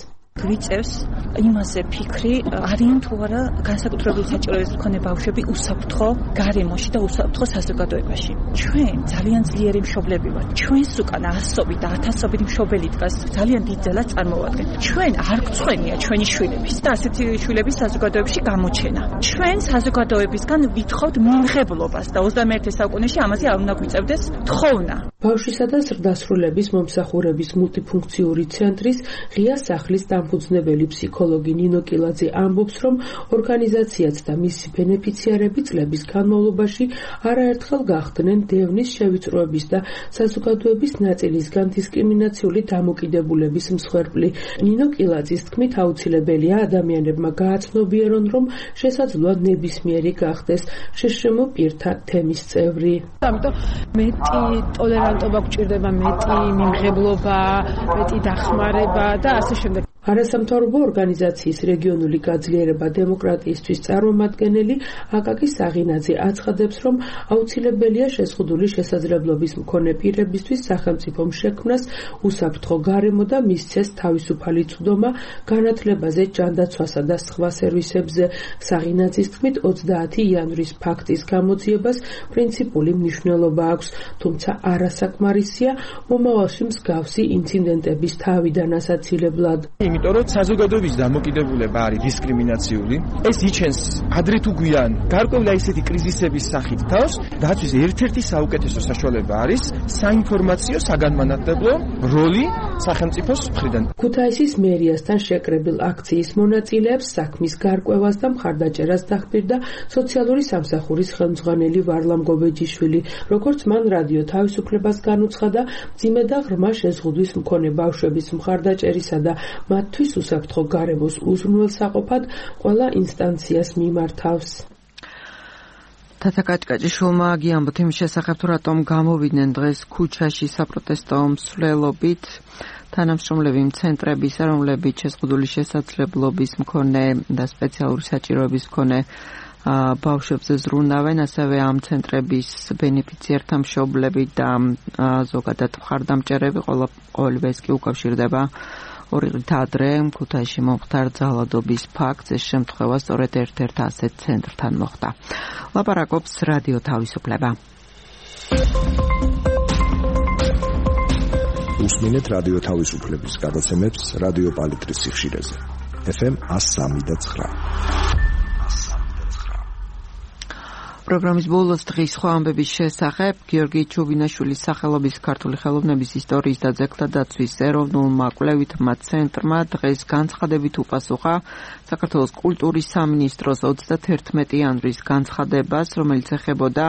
გვიწევს იმაზე ფიქრი, არიან თუ არა განსაკუთრებული საჭიროების მქონე ბავშვები უსაფრთხო გარემოში და უსაფრთხო საზოგადოებაში. ჩვენ ძალიან ძლიერი მშობლები ვართ. ჩვენს უკან ასობით და ათასობით მშობელი დგას, ძალიან დიდ ძალას წარმოვადგენთ. ჩვენ არ გწვენია ჩვენი შვილების და ასეთი შვილების საზოგადოებაში გამოჩენა. ჩვენ საზოგადოებისგან ვითხოვთ მიმღებლობას და ოცდამეერთე საუკუნეში ამაზე არ უნდა გვიწევდეს თხოვნა. ბავშვისა და ზრდასრულების მომსახურების მულტიფუნქციური ცენტრის ღია სახლის დამფუძნებელი ფსიქოლოგი ნინო კილაძე ამბობს, რომ ორგანიზაციაც და მისი ბენეფიციარები წლების განმავლობაში არაერთხელ გახდნენ დევნის, შევიწროების და საზოგადოების ნაწილისგან დისკრიმინაციული დამოკიდებულების მსხვერპლი. ნინო კილაძის თქმით, აუცილებელია ადამიანებმა გააცნობიერონ, რომ შესაძლოა ნებისმიერი გახდეს შეშრემო პირთა თემის წევრი. ამიტომ მეტი ტოლერანტობა გვჭირდება, მეტი მიმღებლობა, მეტი დახმარება და ასე შემდეგ. არასამთავრობო ორგანიზაციის რეგიონული გაძლიერება დემოკრატიისთვის წარმომადგენელი აკაკი საღინაძე აცხადებს, რომ აუცილებელია შეზღუდული შესაძლებლობის მქონე პირებისთვის სახელმწიფომ შექმნას უსაფრთხო გარემო და მისცეს თავისუფალი წვდომა განათლებაზე, ჯანდაცვასა და სხვა სერვისებზე. საღინაძის თქმით, ოცდაათი იანვრის ფაქტის გამოძიებას პრინციპული მნიშვნელობა აქვს, თუმცა არასაკმარისია მომავალში მსგავსი ინციდენტების თავიდან ასაცილებლად. იმიტომ რომ საზოგადოების დამოკიდებულება არის დისკრიმინაციული, ეს იჩენს ადრე თუ გვიან გარკვეული ისეთი კრიზისების სახით თავს, დათვის ერთ-ერთი საუკეთესო საშუალება არის საინფორმაციო საგანმანათლებლო როლი სახელმწიფოს მხრიდან. ქუთაისის მერიასთან შეკრებილ აქციის მონაწილეებს საქმის გარკვევას და მხარდაჭერას დაჰპირდა სოციალური სამსახურის ხელმძღვანელი ვარლამ გობეჯიშვილი. როგორც მან რადიო თავისუფლებას განუცხადა, მძიმე და ღრმა შეზღუდვის მქონე ბავშვების მხარდაჭერისა და მათთვის უსაფრთხო გარემოს უზრუნველსაყოფად ყველა ინსტანციას მიმართავს. თათა კაჭკაჭიშვილმა გიამბოთ იმის შესახებ, თუ რატომ გამოვიდნენ დღეს ქუჩაში საპროტესტო მსვლელობით თანამშრომლები ცენტრებისა, რომლებიც შეზღუდული შესაძლებლობის მქონე და სპეციალური საჭიროების მქონე ბავშვებზე ზრუნავენ, ასევე ამ ცენტრების ბენეფიციართა მშობლები და ზოგადად მხარდამჭერები, ყოველივე ეს კი უკავშირდება ორი დღით ადრე ქუთაისში მომხდარ ძალადობის ფაქტს. ეს შემთხვევა სწორედ ერთ-ერთ ასეთ ცენტრთან მოხდა. ლაპარაკობს რადიო თავისუფლება. უსმინეთ რადიო თავისუფლების გადაცემებს რადიო პალიტრის სიხშირეზე. ეფ ემ one oh three და nine. პროგრამის ბოლოს დღის სხვა ამბების შესახებ გიორგი ჩუბინაშვილის სახელობის ქართული ხელოვნების ისტორიის და ძეგლთა დაცვის ეროვნულმა კვლევითმა ცენტრმა დღეს განცხადებით უპასუხა საქართველოს კულტურის სამინისტროს ოცდათერთმეტი იანვრის განცხადებას, რომელიც ეხებოდა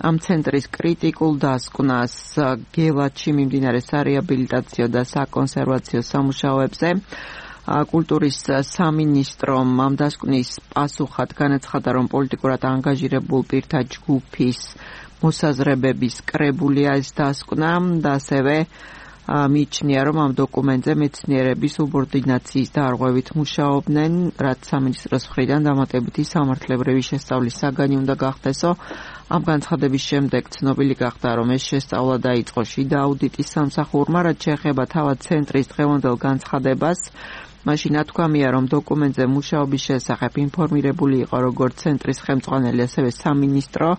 ამ ცენტრის კრიტიკულ დასკვნას გელათში მიმდინარე სარეაბილიტაციო და საკონსერვაციო სამუშაოებზე. კულტურის სამინისტრომ ამ დასკვნის პასუხად განაცხადა, რომ პოლიტიკურად ანგაჟირებულ პირთა ჯგუფის მოსაზრებების კრებულია ეს დასკვნა და ასევე მიიჩნია, რომ ამ დოკუმენტზე მეცნიერები სუბორდინაციის დარღვევით მუშაობდნენ, რაც სამინისტროს მხრიდან დამატებითი სამართლებრივი შესწავლის საგანი უნდა გახდესო. ამ განცხადების შემდეგ ცნობილი გახდა, რომ ეს შესწავლა დაიწყო შიდა აუდიტის სამსახურმა, რაც შეეხება თავად ცენტრის დღევანდელ განცხადებას. მაშინ ათქვამია, რომ დოკუმენტზე მუშაობის შესახებ ინფორმირებული იყო როგორც ცენტრის ხელმძღვანელი, ასევე სამინისტრო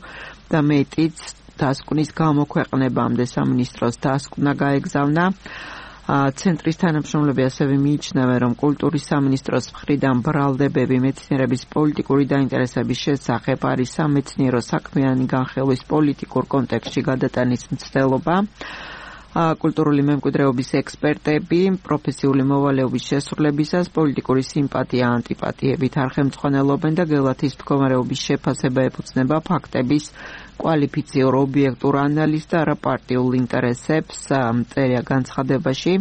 და მეტიც დასკვნის გამოქვეყნებამდე სამინისტროს დასკვნა გაეგზავნა. ცენტრის თანამშრომლები ასევე მიიჩნევენ, რომ კულტურის სამინისტროს მხრიდან ბრალდებები მეცნიერების პოლიტიკური დაინტერესების შესახებ არის სამეცნიერო საქმიანი განხილვის პოლიტიკურ კონტექსტში გადატანის მცდელობა. კულტურული მემკვიდრეობის ექსპერტები პროფესიული მოვალეობის შესრულებისას პოლიტიკური სიმპათია ანტიპათიებით არ ხელმძღვანელობენ და გელათის მდგომარეობის შეფასება ეფუძნება ფაქტების კვალიფიციურ ობიექტურ ანალიზს და არა პარტიულ ინტერესებს. წერია განცხადებაში.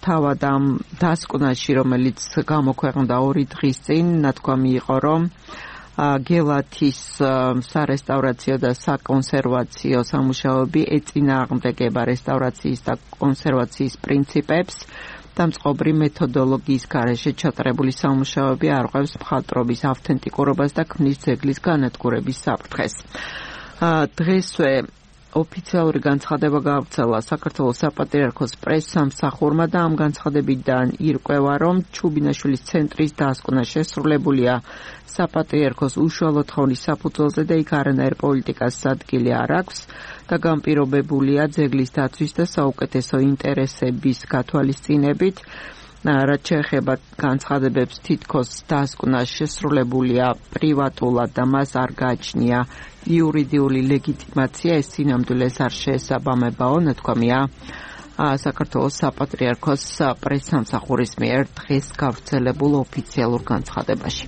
თავად ამ დასკვნაში, რომელიც გამოქვეყნდა ორი დღის წინ, ნათქვამი იყო, რომ გელათის სარესტავრაციო და საკონსერვაციო სამუშაოები ეწინააღმდეგება რესტავრაციის და კონსერვაციის პრინციპებს და მწყობრი მეთოდოლოგიის გარეშე ჩატარებული სამუშაოები არღვევს მხატვრობის ავთენტიკურობას და ქმნის ძეგლის განადგურების საფრთხეს. დღესვე ოფიციალური განცხადება გაავრცელა საქართველოს საპატრიარქოს პრესსამსახურმა და ამ განცხადებიდან ირკვევა, რომ ჩუბინაშვილის ცენტრის დასკვნა შესრულებულია საპატრიარქოს უშუალო თხოვნის საფუძველზე და იქ არანაირ პოლიტიკას ადგილი არ აქვს და განპირობებულია ძეგლის დაცვის და საუკეთესო ინტერესების გათვალისწინებით. რაც შეეხება განცხადებებს, თითქოს დასკვნა შესრულებულია პრივატულად და მას არ გააჩნია იურიდიული ლეგიტიმაცია, ეს სინამდვილეს არ შეესაბამებაო, ნათქვამია საქართველოს საპატრიარქოს პრესსამსახურის მიერ დღეს გავრცელებულ ოფიციალურ განცხადებაში.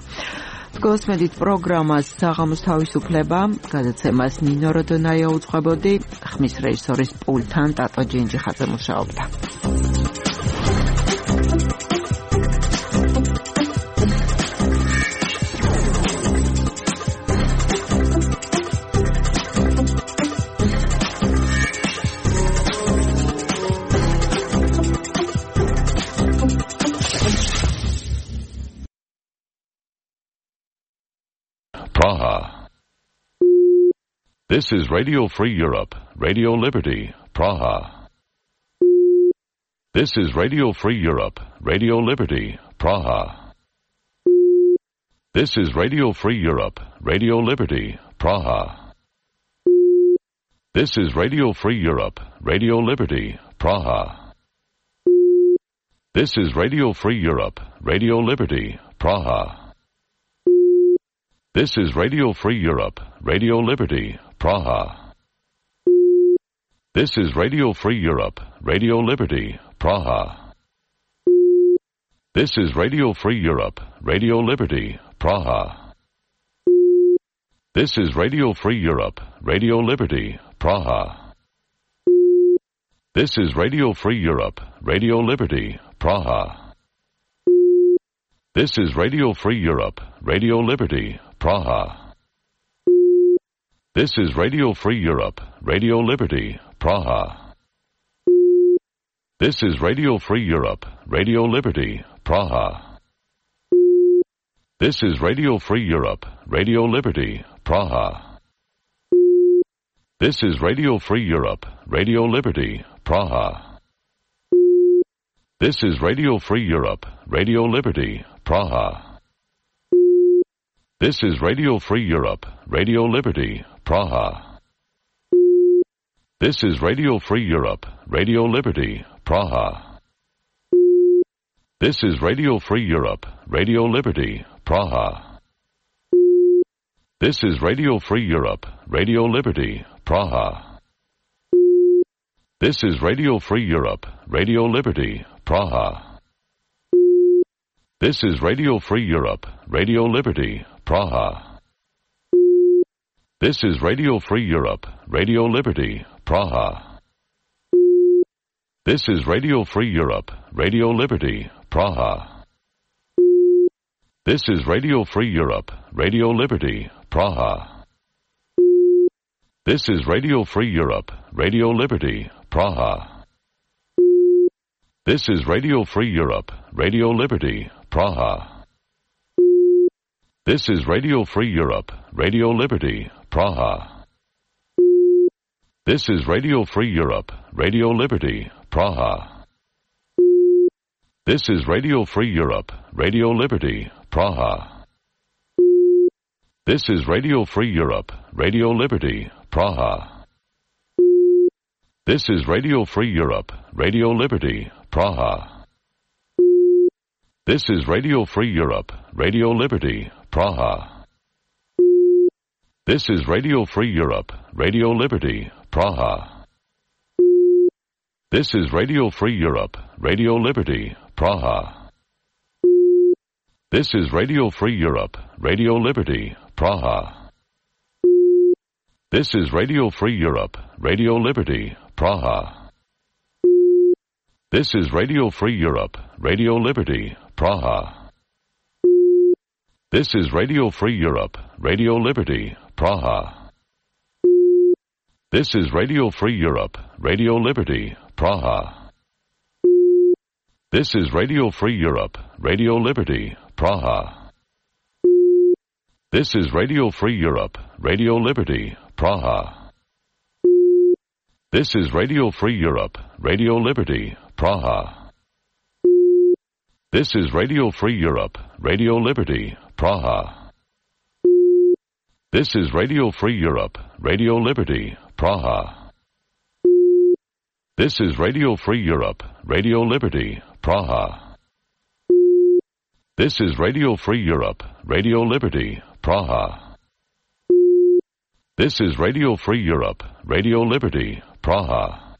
გოსმედით პროგრამას საღამოს თავისუფლება, გადაცემას ნინო როდონაია უძღვებოდი, ხმის რეჟისორის პულტთან ტატო ჯინჯიხაძე მუშაობდა. Praha. This is Radio Free Europe, Radio Liberty, Praha. This is Radio Free Europe, Radio Liberty, Praha. This is Radio Free Europe, Radio Liberty, Praha. This is Radio Free Europe, Radio Liberty, Praha. This is Radio Free Europe, Radio Liberty, Praha. This is Radio Free Europe, Radio Liberty, Praha. This is Radio Free Europe, Radio Liberty, Praha. This is Radio Free Europe, Radio Liberty, Praha. This is Radio Free Europe, Radio Liberty, Praha. This is Radio Free Europe, Radio Liberty, Praha. This is Radio Free Europe, Radio Liberty, Praha. This is Radio Free Europe, Radio Liberty, Praha. This is Radio Free Europe, Radio Liberty, Praha. This is Radio Free Europe, Radio Liberty, Praha. This is Radio Free Europe, Radio Liberty, Praha. This is Radio Free Europe, Radio Liberty, Praha. This is Radio Free Europe, Radio Liberty, Praha. This is Radio Free Europe, Radio Liberty, Praha. This is Radio Free Europe, Radio Liberty, Praha. This is Radio Free Europe, Radio Liberty, Praha. This is Radio Free Europe, Radio Liberty, Praha. This is Radio Free Europe, Radio Liberty, Praha. This is Radio Free Europe, Radio Liberty, Praha. This is Radio Free Europe, Radio Liberty, Praha. This is Radio Free Europe, Radio Liberty, Praha. This is Radio Free Europe, Radio Liberty, Praha. This is Radio Free Europe, Radio Liberty, Praha. This is Radio Free Europe, Radio Liberty, Praha. This is Radio Free Europe, Radio Liberty, Praha. This is Radio Free Europe, Radio Liberty, Praha. This is Radio Free Europe, Radio Liberty, Praha. This is Radio Free Europe, Radio Liberty, Praha. This is Radio Free Europe, Radio Liberty, Praha. This is Radio Free Europe, Radio Liberty, Praha. This is Radio Free Europe, Radio Liberty, Praha. This is Radio Free Europe, Radio Liberty, Praha. This is Radio Free Europe, Radio Liberty, Praha. This is Radio Free Europe, Radio Liberty, Praha. This is Radio Free Europe, Radio Liberty, Praha. This is Radio Free Europe, Radio Liberty, Praha. This is Radio Free Europe, Radio Liberty, Praha. This is Radio Free Europe, Radio Liberty, Praha. This is Radio Free Europe, Radio Liberty, Praha. This is Radio Free Europe, Radio Liberty, Praha. This is Radio Free Europe, Radio Liberty, Praha. This is Radio Free Europe, Radio Liberty, Praha. This is Radio Free Europe, Radio Liberty, Praha. This is Radio Free Europe, Radio Liberty, Praha.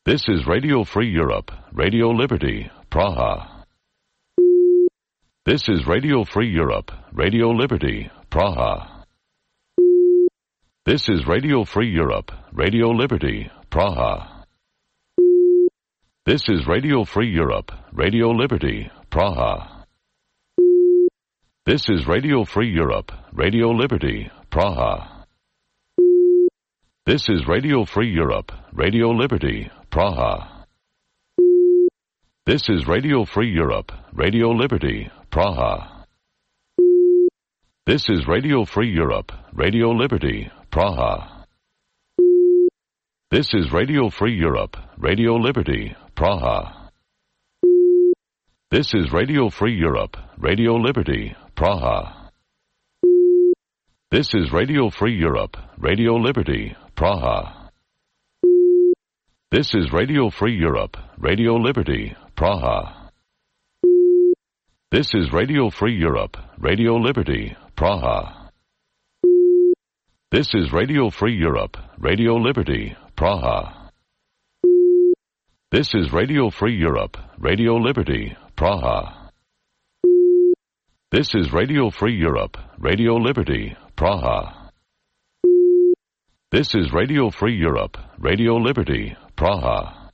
This is Radio Free Europe, Radio Liberty, Praha. This is Radio Free Europe, Radio Liberty, Praha. This is Radio Free Europe, Radio Liberty, Praha. This is Radio Free Europe, Radio Liberty, Praha. This is Radio Free Europe, Radio Liberty, Praha. This is Radio Free Europe, Radio Liberty, Praha. This is Radio Free Europe, Radio Liberty, Praha. This is Radio Free Europe, Radio Liberty, Praha. This is Radio Free Europe, Radio Liberty, Praha. This is Radio Free Europe, Radio Liberty, Praha. This is Radio Free Europe, Radio Liberty, Praha. This is Radio Free Europe, Radio Liberty, Praha. This is Radio Free Europe, Radio Liberty, Praha. This is Radio Free Europe, Radio Liberty, Praha. This is Radio Free Europe, Radio Liberty, Praha. This is Radio Free Europe, Radio Liberty, Praha. This is Radio Free Europe, Radio Liberty, Praha.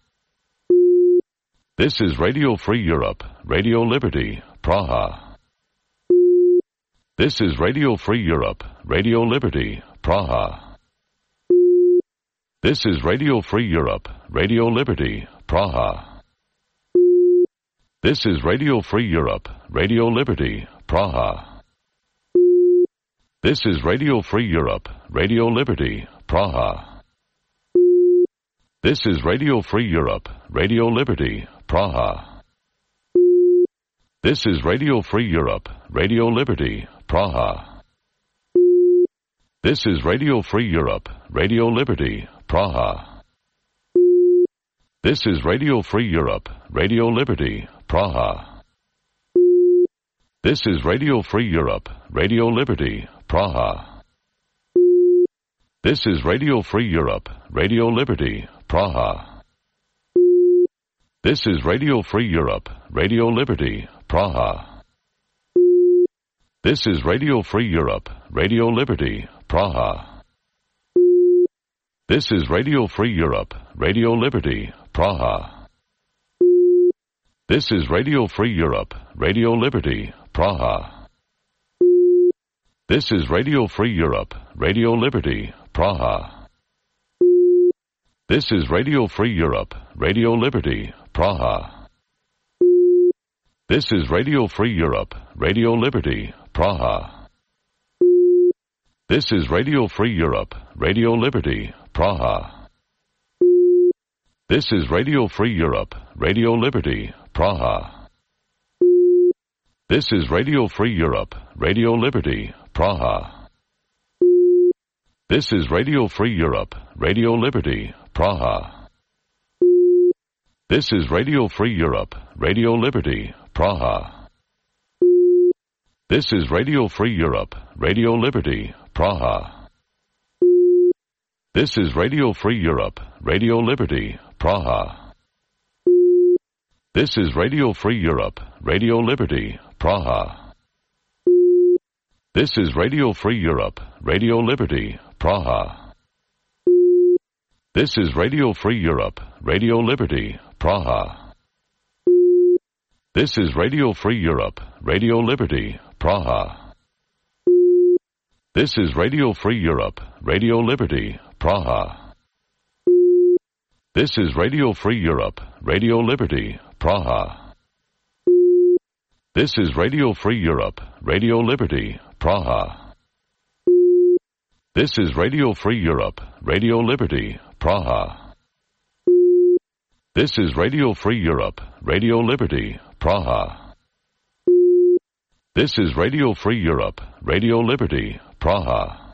This is Radio Free Europe, Radio Liberty, Praha. This is Radio Free Europe, Radio Liberty, Praha. This is Radio Free Europe, Radio Liberty, Praha. This is Radio Free Europe, Radio Liberty, Praha. This is Radio Free Europe, Radio Liberty, Praha. This is Radio Free Europe, Radio Liberty, Praha. This is Radio Free Europe, Radio Liberty, Praha. This is Radio Free Europe, Radio Liberty, Praha. This is Radio Free Europe, Radio Liberty, Praha. This is Radio Free Europe, Radio Liberty, Praha. This is Radio Free Europe, Radio Liberty, Praha. This is Radio Free Europe, Radio Liberty, Praha. This is Radio Free Europe, Radio Liberty, Praha. This is Radio Free Europe, Radio Liberty, Praha. This is Radio Free Europe, Radio Liberty, Praha. This is Radio Free Europe, Radio Liberty, Praha. This is Radio Free Europe, Radio Liberty, Praha. This is Radio Free Europe, Radio Liberty, Praha. This is Radio Free Europe, Radio Liberty, Praha. This is Radio Free Europe, Radio Liberty, Praha. This is Radio Free Europe, Radio Liberty, Praha. This is Radio Free Europe, Radio Liberty, Praha. This is Radio Free Europe, Radio Liberty, Praha. This is Radio Free Europe, Radio Liberty, Praha. This is Radio Free Europe, Radio Liberty, Praha. This is Radio Free Europe, Radio Liberty, Praha. This is Radio Free Europe, Radio Liberty, Praha. This is Radio Free Europe, Radio Liberty, Praha. This is Radio Free Europe, Radio Liberty, Praha. This is Radio Free Europe, Radio Liberty, Praha. This is Radio Free Europe, Radio Liberty, Praha. This is Radio Free Europe, Radio Liberty, Praha. This is Radio Free Europe, Radio Liberty, Praha. This is Radio Free Europe, Radio Liberty, Praha. This is Radio Free Europe, Radio Liberty, Praha.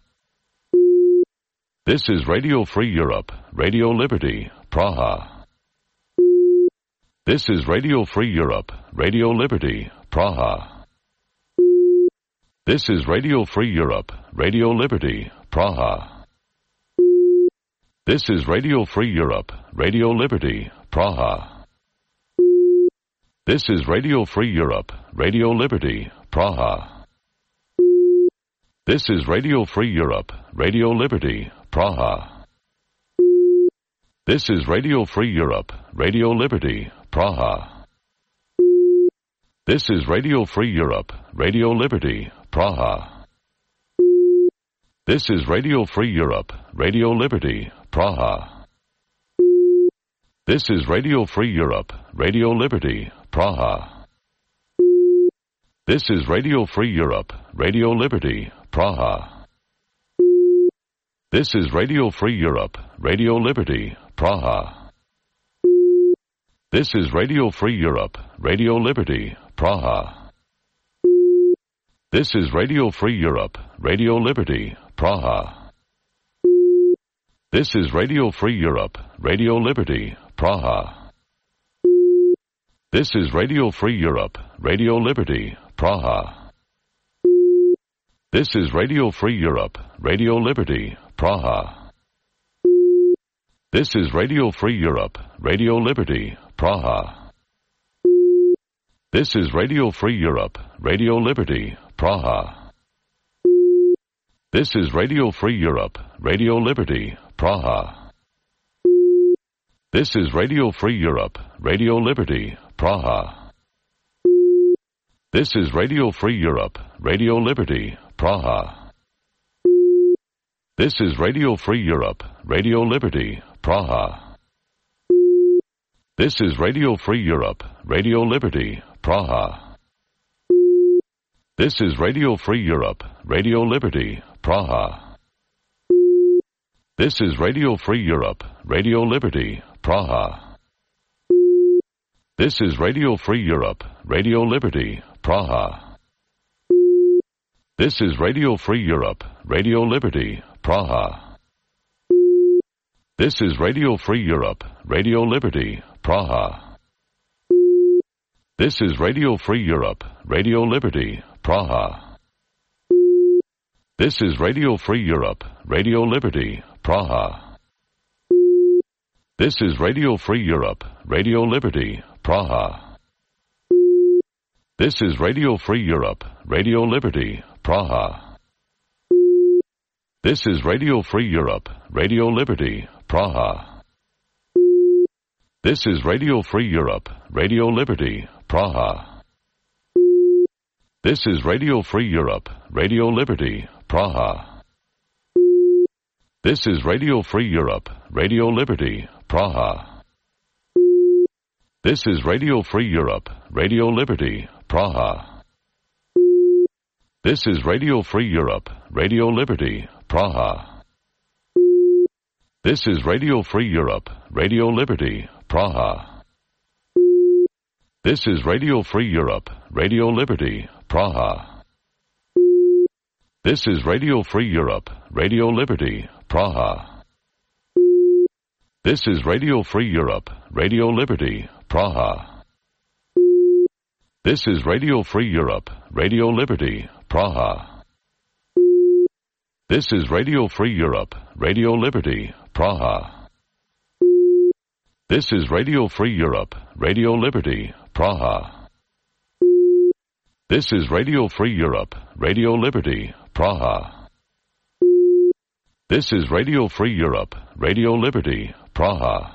This is Radio Free Europe, Radio Liberty, Praha. This is Radio Free Europe, Radio Liberty, Praha. This is Radio Free Europe, Radio Liberty, Praha. This is Radio Free Europe, Radio Liberty, Praha. This is Radio Free Europe, Radio Liberty, Praha. This is Radio Free Europe, Radio Liberty, Praha. This is Radio Free Europe, Radio Liberty, Praha. This is Radio Free Europe, Radio Liberty, Praha. This is Radio Free Europe, Radio Liberty, Praha. This is Radio Free Europe, Radio Liberty, Praha. This is Radio Free Europe, Radio Liberty, Praha. This is Radio Free Europe, Radio Liberty, Praha. This is Radio Free Europe, Radio Liberty, Praha. This is Radio Free Europe, Radio Liberty, Praha. This is Radio Free Europe, Radio Liberty, Praha. This is Radio Free Europe, Radio Liberty, Praha. This is Radio Free Europe, Radio Liberty, Praha. This is Radio Free Europe, Radio Liberty, Praha. This is Radio Free Europe, Radio Liberty, Praha. This is Radio Free Europe, Radio Liberty, Praha. This is Radio Free Europe, Radio Liberty, Praha. This is Radio Free Europe, Radio Liberty, Praha. This is Radio Free Europe, Radio Liberty, Praha. This is Radio Free Europe, Radio Liberty, Praha. This is Radio Free Europe, Radio Liberty, Praha. This is Radio Free Europe, Radio Liberty, Praha. This is Radio Free Europe, Radio Liberty, Praha. This is Radio Free Europe, Radio Liberty, Praha. This is Radio Free Europe, Radio Liberty, Praha. This is Radio Free Europe, Radio Liberty, Praha. This is Radio Free Europe, Radio Liberty, Praha. This is Radio Free Europe, Radio Liberty, Praha. This is Radio Free Europe, Radio Liberty, Praha. This is Radio Free Europe, Radio Liberty, Praha. This is Radio Free Europe, Radio Liberty, Praha. This is Radio Free Europe, Radio Liberty, Praha. This is Radio Free Europe, Radio Liberty, Praha. This is Radio Free Europe, Radio Liberty, Praha. This is Radio Free Europe, Radio Liberty, Praha. This is Radio Free Europe, Radio Liberty, Praha. This is Radio Free Europe, Radio Liberty, Praha. This is Radio Free Europe, Radio Liberty, Praha. This is Radio Free Europe, Radio Liberty, Praha. This is Radio Free Europe, Radio Liberty, Praha. This is Radio Free Europe, Radio Liberty, Praha. This is Radio Free Europe, Radio Liberty, Praha. This is Radio Free Europe, Radio Liberty, Praha. This is Radio Free Europe, Radio Liberty, Praha.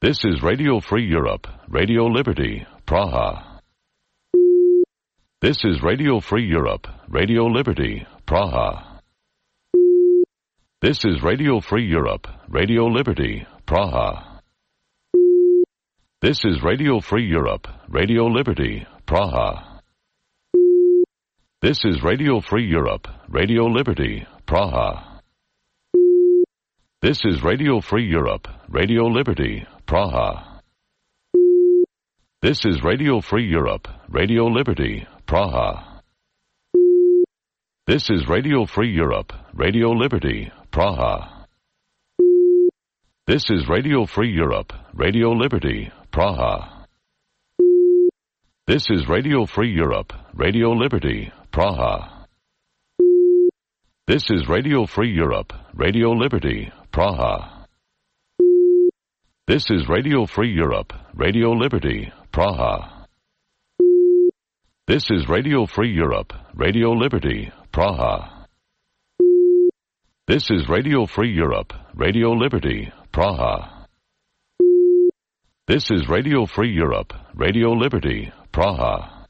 This is Radio Free Europe, Radio Liberty, Praha. This is Radio Free Europe, Radio Liberty, Praha. This is Radio Free Europe, Radio Liberty, Praha. This is Radio Free Europe, Radio Liberty, Praha. This is Radio Free Europe, Radio Liberty, Praha. This is Radio Free Europe, Radio Liberty, Praha. This is Radio Free Europe, Radio Liberty, Praha. This is Radio Free Europe, Radio Liberty, Praha. This is Radio Free Europe, Radio Liberty, Praha. This is Radio Free Europe, Radio Liberty, Praha. This is Radio Free Europe, Radio Liberty, Praha. This is Radio Free Europe, Radio Liberty, Praha. This is Radio Free Europe, Radio Liberty, Praha. This is Radio Free Europe, Radio Liberty, Praha. This is Radio Free Europe, Radio Liberty, Praha.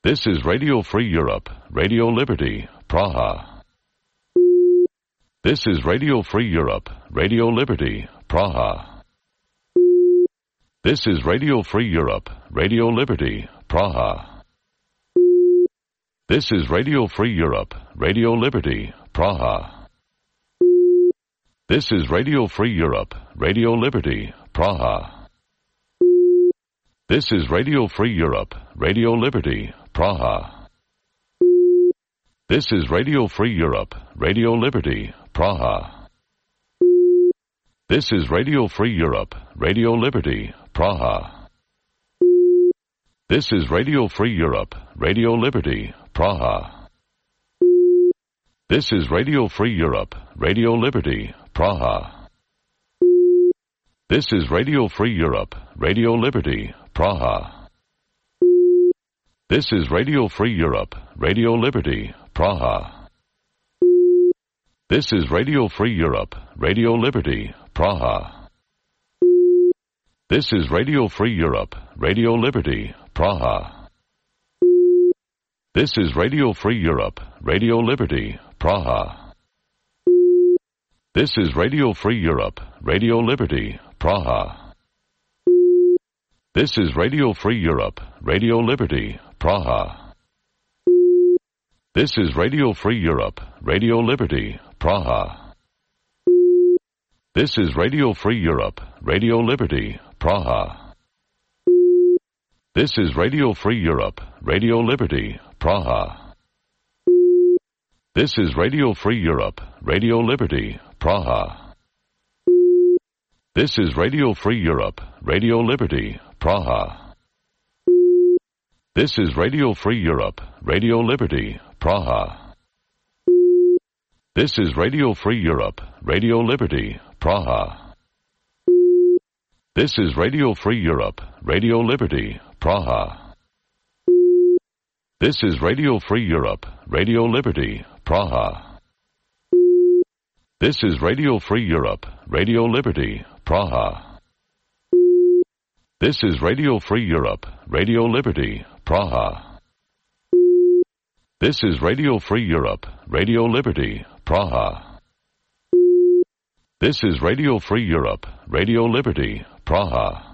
This is Radio Free Europe, Radio Liberty, Praha. This is Radio Free Europe, Radio Liberty, Praha. This is Radio Free Europe, Radio Liberty, Praha. This is Radio Free Europe, Radio Liberty, Praha. This is Radio Free Europe, Radio Liberty, Praha. This is Radio Free Europe, Radio Liberty, Praha. This is Radio Free Europe, Radio Liberty, Praha. This is Radio Free Europe, Radio Liberty, Praha. This is Radio Free Europe, Radio Liberty, Praha. This is Radio Free Europe, Radio Liberty, Praha. This is Radio Free Europe, Radio Liberty, Praha. This is Radio Free Europe, Radio Liberty, Praha. This is Radio Free Europe, Radio Liberty, Praha. This is Radio Free Europe, Radio Liberty, Praha. This is Radio Free Europe, Radio Liberty, Praha. This is Radio Free Europe, Radio Liberty, Praha. This is Radio Free Europe, Radio Liberty, Praha. This is Radio Free Europe, Radio Liberty, Praha. This is Radio Free Europe, Radio Liberty, Praha. This is Radio Free Europe, Radio Liberty, Praha. This is Radio Free Europe, Radio Liberty, Praha. This is Radio Free Europe, Radio Liberty, Praha. This is Radio Free Europe, Radio Liberty, Praha. This is Radio Free Europe, Radio Liberty, Praha. This is Radio Free Europe, Radio Liberty, Praha. This is Radio Free Europe, Radio Liberty, Praha. This is Radio Free Europe, Radio Liberty, Praha. This is Radio Free Europe, Radio Liberty, Praha. This is Radio Free Europe, Radio Liberty, Praha. This is Radio Free Europe, Radio Liberty, Praha.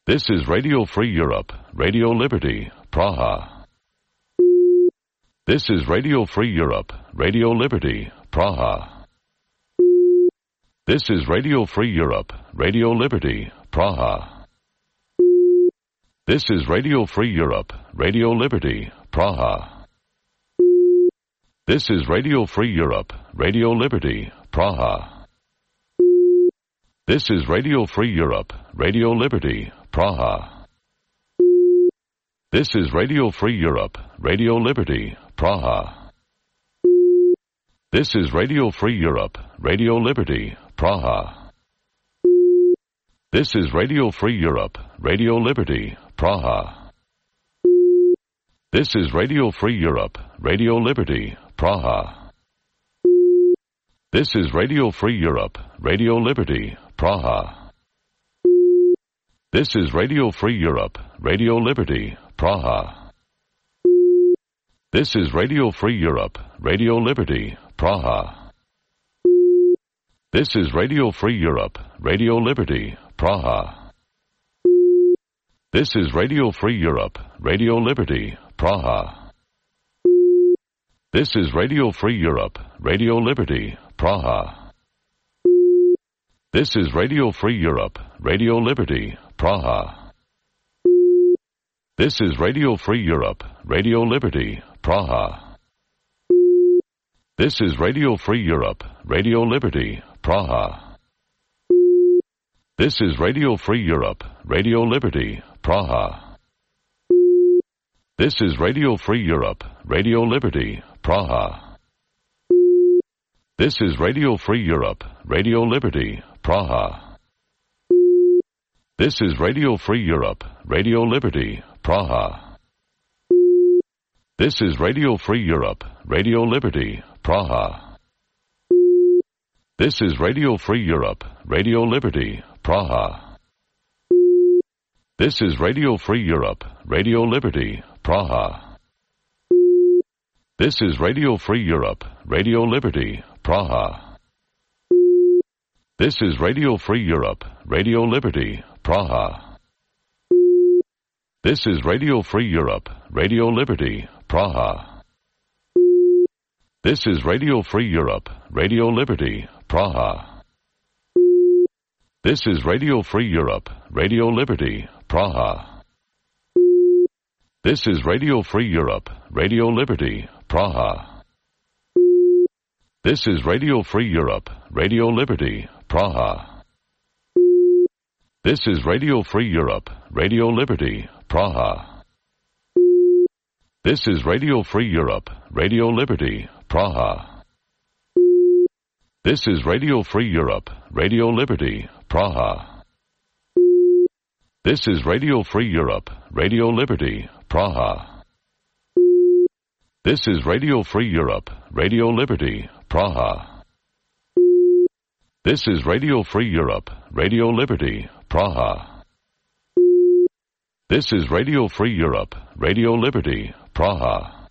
This is Radio Free Europe, Radio Liberty, Praha. This is Radio Free Europe, Radio Liberty, Praha. This is Radio Free Europe, Radio Liberty, Praha. This is Radio Free Europe, Radio Liberty, Praha. This is Radio Free Europe, Radio Liberty, Praha. This is Radio Free Europe, Radio Liberty, Praha. This is Radio Free Europe, Radio Liberty, Praha. This is Radio Free Europe, Radio Liberty, Praha. This is Radio Free Europe, Radio Liberty, Praha. This is Radio Free Europe, Radio Liberty, Praha. This is Radio Free Europe, Radio Liberty, Praha. This is Radio Free Europe, Radio Liberty, Praha. This is Radio Free Europe, Radio Liberty, Praha. This is Radio Free Europe, Radio Liberty, Praha. This is Radio Free Europe, Radio Liberty, Praha. This is Radio Free Europe, Radio Liberty, Praha. This is Radio Free Europe, Radio Liberty, Praha. This is Radio Free Europe, Radio Liberty, Praha. This is Radio Free Europe, Radio Liberty, Praha. This is Radio Free Europe, Radio Liberty, Praha. This is Radio Free Europe, Radio Liberty, Praha. This is Radio Free Europe, Radio Liberty, Praha. This is Radio Free Europe, Radio Liberty, Praha. This is Radio Free Europe, Radio Liberty, Praha. This is Radio Free Europe, Radio Liberty, Praha. This is Radio Free Europe, Radio Liberty, Praha. This is Radio Free Europe, Radio Liberty, Praha. This is Radio Free Europe, Radio Liberty, Praha. This is Radio Free Europe, Radio Liberty, Praha. This is Radio Free Europe, Radio Liberty, Praha. This is Radio Free Europe, Radio Liberty, Praha. This is Radio Free Europe, Radio Liberty, Praha. This is Radio Free Europe, Radio Liberty, Praha. This is Radio Free Europe, Radio Liberty, Praha. This is Radio Free Europe, Radio Liberty, Praha. This is Radio Free Europe, Radio Liberty, Praha. This is Radio Free Europe, Radio Liberty, Praha. This is Radio Free Europe, Radio Liberty, Praha. This is Radio Free Europe, Radio Liberty, Praha. This is Radio Free Europe, Radio Liberty, Praha.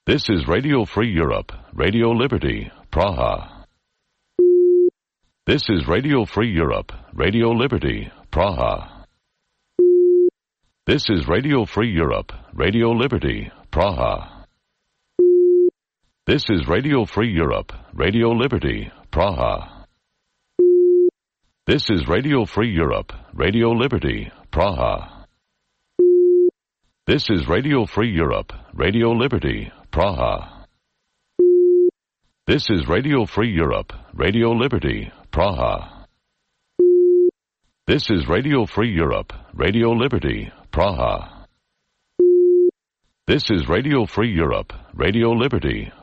This is Radio Free Europe, Radio Liberty, Praha. This is Radio Free Europe, Radio Liberty, Praha. This is Radio Free Europe, Radio Liberty, Praha. This is Radio Free Europe, Radio Liberty, Praha. This is Radio Free Europe, Radio Liberty, Praha. This is Radio Free Europe, Radio Liberty, Praha. This is Radio Free Europe, Radio Liberty, Praha. This is Radio Free Europe, Radio Liberty, Praha. This is Radio Free Europe, Radio Liberty,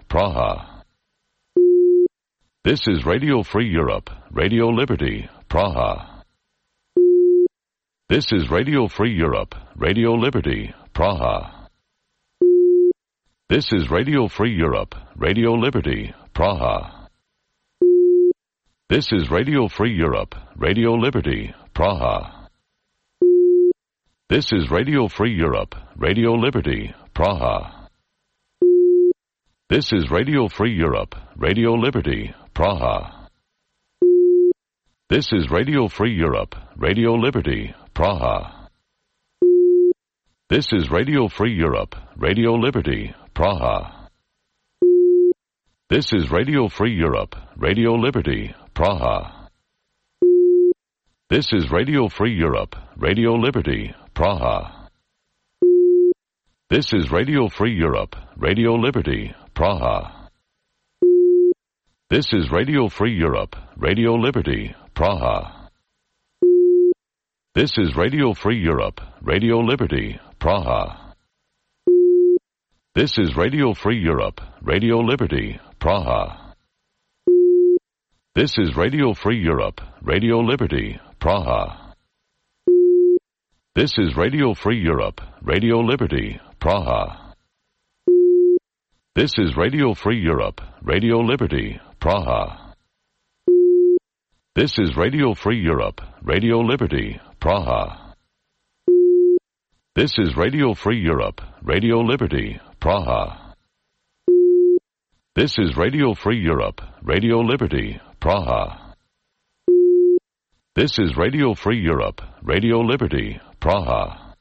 Praha. This is Radio Free Europe, Radio Liberty, Praha. This is Radio Free Europe, Radio Liberty, Praha. This is Radio Free Europe, Radio Liberty, Praha. This is Radio Free Europe, Radio Liberty, Praha. This is Radio Free Europe, Radio Liberty, Praha. This is Radio Free Europe, Radio Liberty, Praha. This is Radio Free Europe, Radio Liberty, Praha. This is Radio Free Europe, Radio Liberty, Praha. This is Radio Free Europe, Radio Liberty, Praha. This is Radio Free Europe, Radio Liberty, Praha. This is Radio Free Europe, Radio Liberty, Praha. This is Radio Free Europe, Radio Liberty, Praha. This is Radio Free Europe, Radio Liberty, Praha. This is Radio Free Europe, Radio Liberty, Praha. This is Radio Free Europe, Radio Liberty, Praha. This is Radio Free Europe, Radio Liberty, Praha. This is Radio Free Europe, Radio Liberty, Praha. This is Radio Free Europe, Radio Liberty, Praha. This is Radio Free Europe, Radio Liberty, Praha. This is Radio Free Europe, Radio Liberty, Praha. This is Radio Free Europe, Radio Liberty, Praha.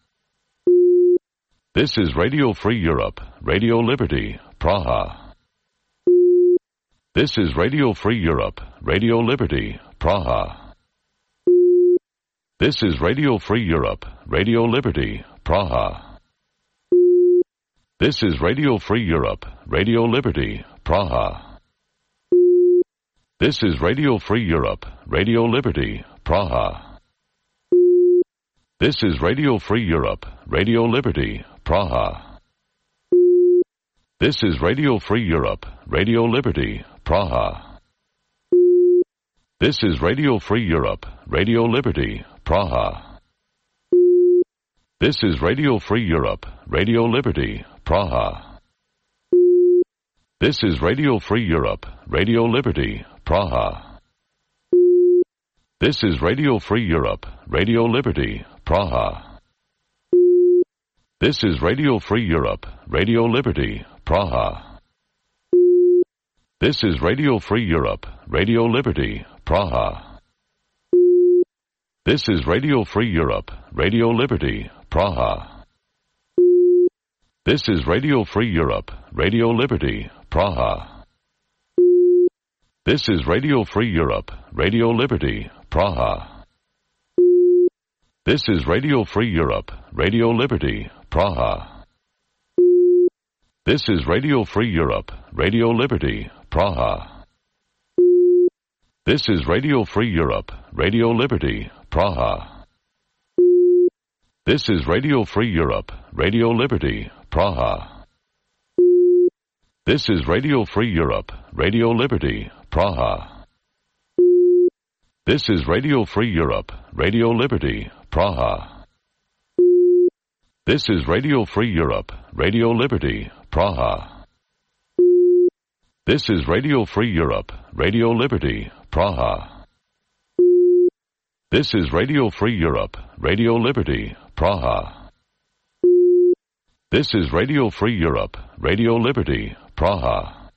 This is Radio Free Europe, Radio Liberty, Praha. This is Radio Free Europe, Radio Liberty, Praha. This is Radio Free Europe, Radio Liberty, Praha. This is Radio Free Europe, Radio Liberty, Praha. This is Radio Free Europe, Radio Liberty, Praha. This is Radio Free Europe, Radio Liberty, Praha. This is Radio Free Europe, Radio Liberty, Praha. This is Radio Free Europe, Radio Liberty, Praha. This is Radio Free Europe, Radio Liberty, Praha. This is Radio Free Europe, Radio Liberty, Praha. This is Radio Free Europe, Radio Liberty, Praha. This is Radio Free Europe, Radio Liberty, Praha. This is Radio Free Europe, Radio Liberty, Praha. This is Radio Free Europe, Radio Liberty, Praha. This is Radio Free Europe, Radio Liberty, Praha. This is Radio Free Europe, Radio Liberty, Praha. This is Radio Free Europe, Radio Liberty, Praha. This is Radio Free Europe, Radio Liberty, Praha. This is Radio Free Europe, Radio Liberty, Praha. This is Radio Free Europe, Radio Liberty, Praha. This is Radio Free Europe, Radio Liberty, Praha. This is Radio Free Europe, Radio Liberty, Praha. This is Radio Free Europe, Radio Liberty, Praha. This is Radio Free Europe, Radio Liberty, Praha. This is Radio Free Europe, Radio Liberty, Praha.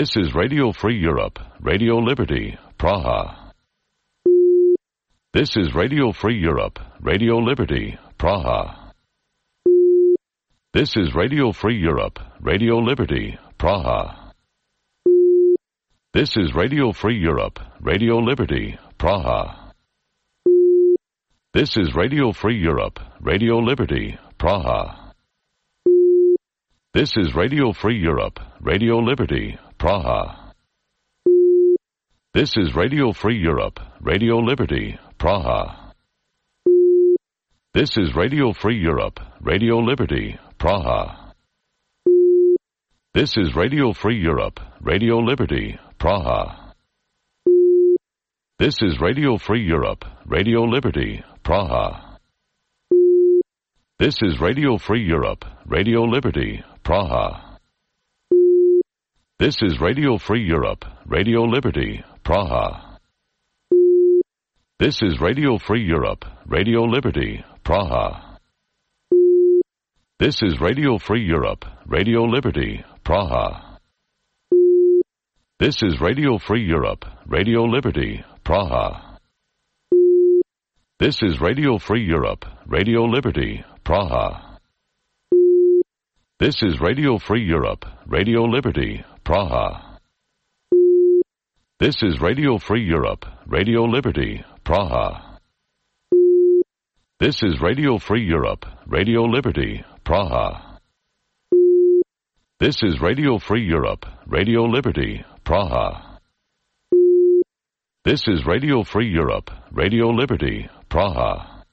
This is Radio Free Europe, Radio Liberty, Praha. This is Radio Free Europe, Radio Liberty, Praha. This is Radio Free Europe, Radio Liberty, Praha. This is Radio Free Europe, Radio Liberty, Praha. This is Radio Free Europe, Radio Liberty, Praha. This is Radio Free Europe, Radio Liberty, Praha. This is Radio Free Europe, Radio Liberty, Praha. This is Radio Free Europe, Radio Liberty, Praha. This is Radio Free Europe, Radio Liberty, Praha. This is Radio Free Europe, Radio Liberty, Praha. This is Radio Free Europe, Radio Liberty, Praha. This is Radio Free Europe, Radio Liberty, Praha. This is Radio Free Europe, Radio Liberty, Praha. This is Radio Free Europe, Radio Liberty, Praha. This is Radio Free Europe, Radio Liberty, Praha. This is Radio Free Europe, Radio Liberty, Praha. This is Radio Free Europe, Radio Liberty, Praha. This is Radio Free Europe, Radio Liberty, Praha. This is Radio Free Europe, Radio Liberty, Praha. This is Radio Free Europe, Radio Liberty, Praha. This is Radio Free Europe, Radio Liberty, Praha. This is Radio Free Europe, Radio Liberty, Praha.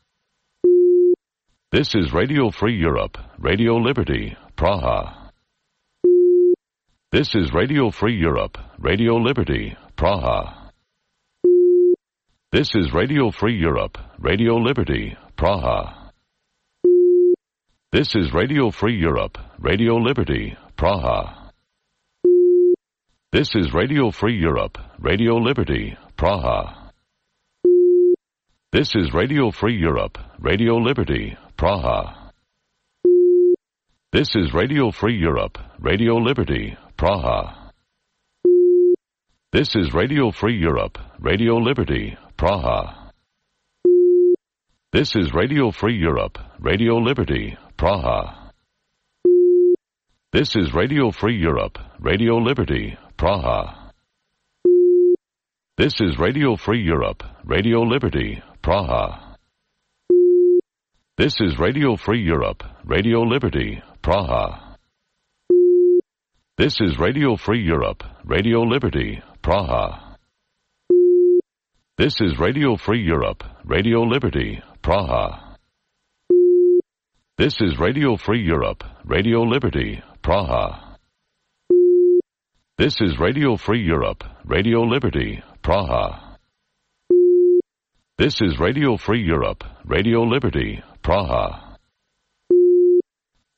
This is Radio Free Europe, Radio Liberty, Praha. This is Radio Free Europe, Radio Liberty, Praha. This is Radio Free Europe, Radio Liberty, Praha. This is Radio Free Europe, Radio Liberty, Praha. This is Radio Free Europe, Radio Liberty, Praha. This is Radio Free Europe, Radio Liberty, Praha. This is Radio Free Europe, Radio Liberty, Praha. This is Radio Free Europe, Radio Liberty, Praha. This is Radio Free Europe, Radio Liberty, Praha. This is Radio Free Europe, Radio Liberty, Praha. This is Radio Free Europe, Radio Liberty, Praha. This is Radio Free Europe, Radio Liberty, Praha. This is Radio Free Europe, Radio Liberty, Praha. This is Radio Free Europe, Radio Liberty, Praha. This is Radio Free Europe, Radio Liberty, Praha. This is Radio Free Europe, Radio Liberty, Praha. This is Radio Free Europe, Radio Liberty, Praha.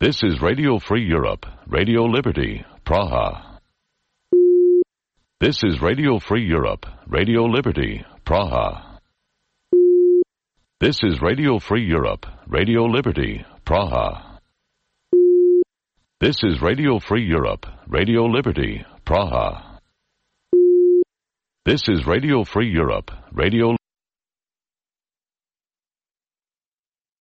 This is Radio Free Europe, Radio Liberty, Praha. This is Radio Free Europe, Radio Liberty, Praha. This is Radio Free Europe, Radio Liberty, Praha. This is Radio Free Europe, Radio Liberty, Praha. This is Radio Free Europe, Radio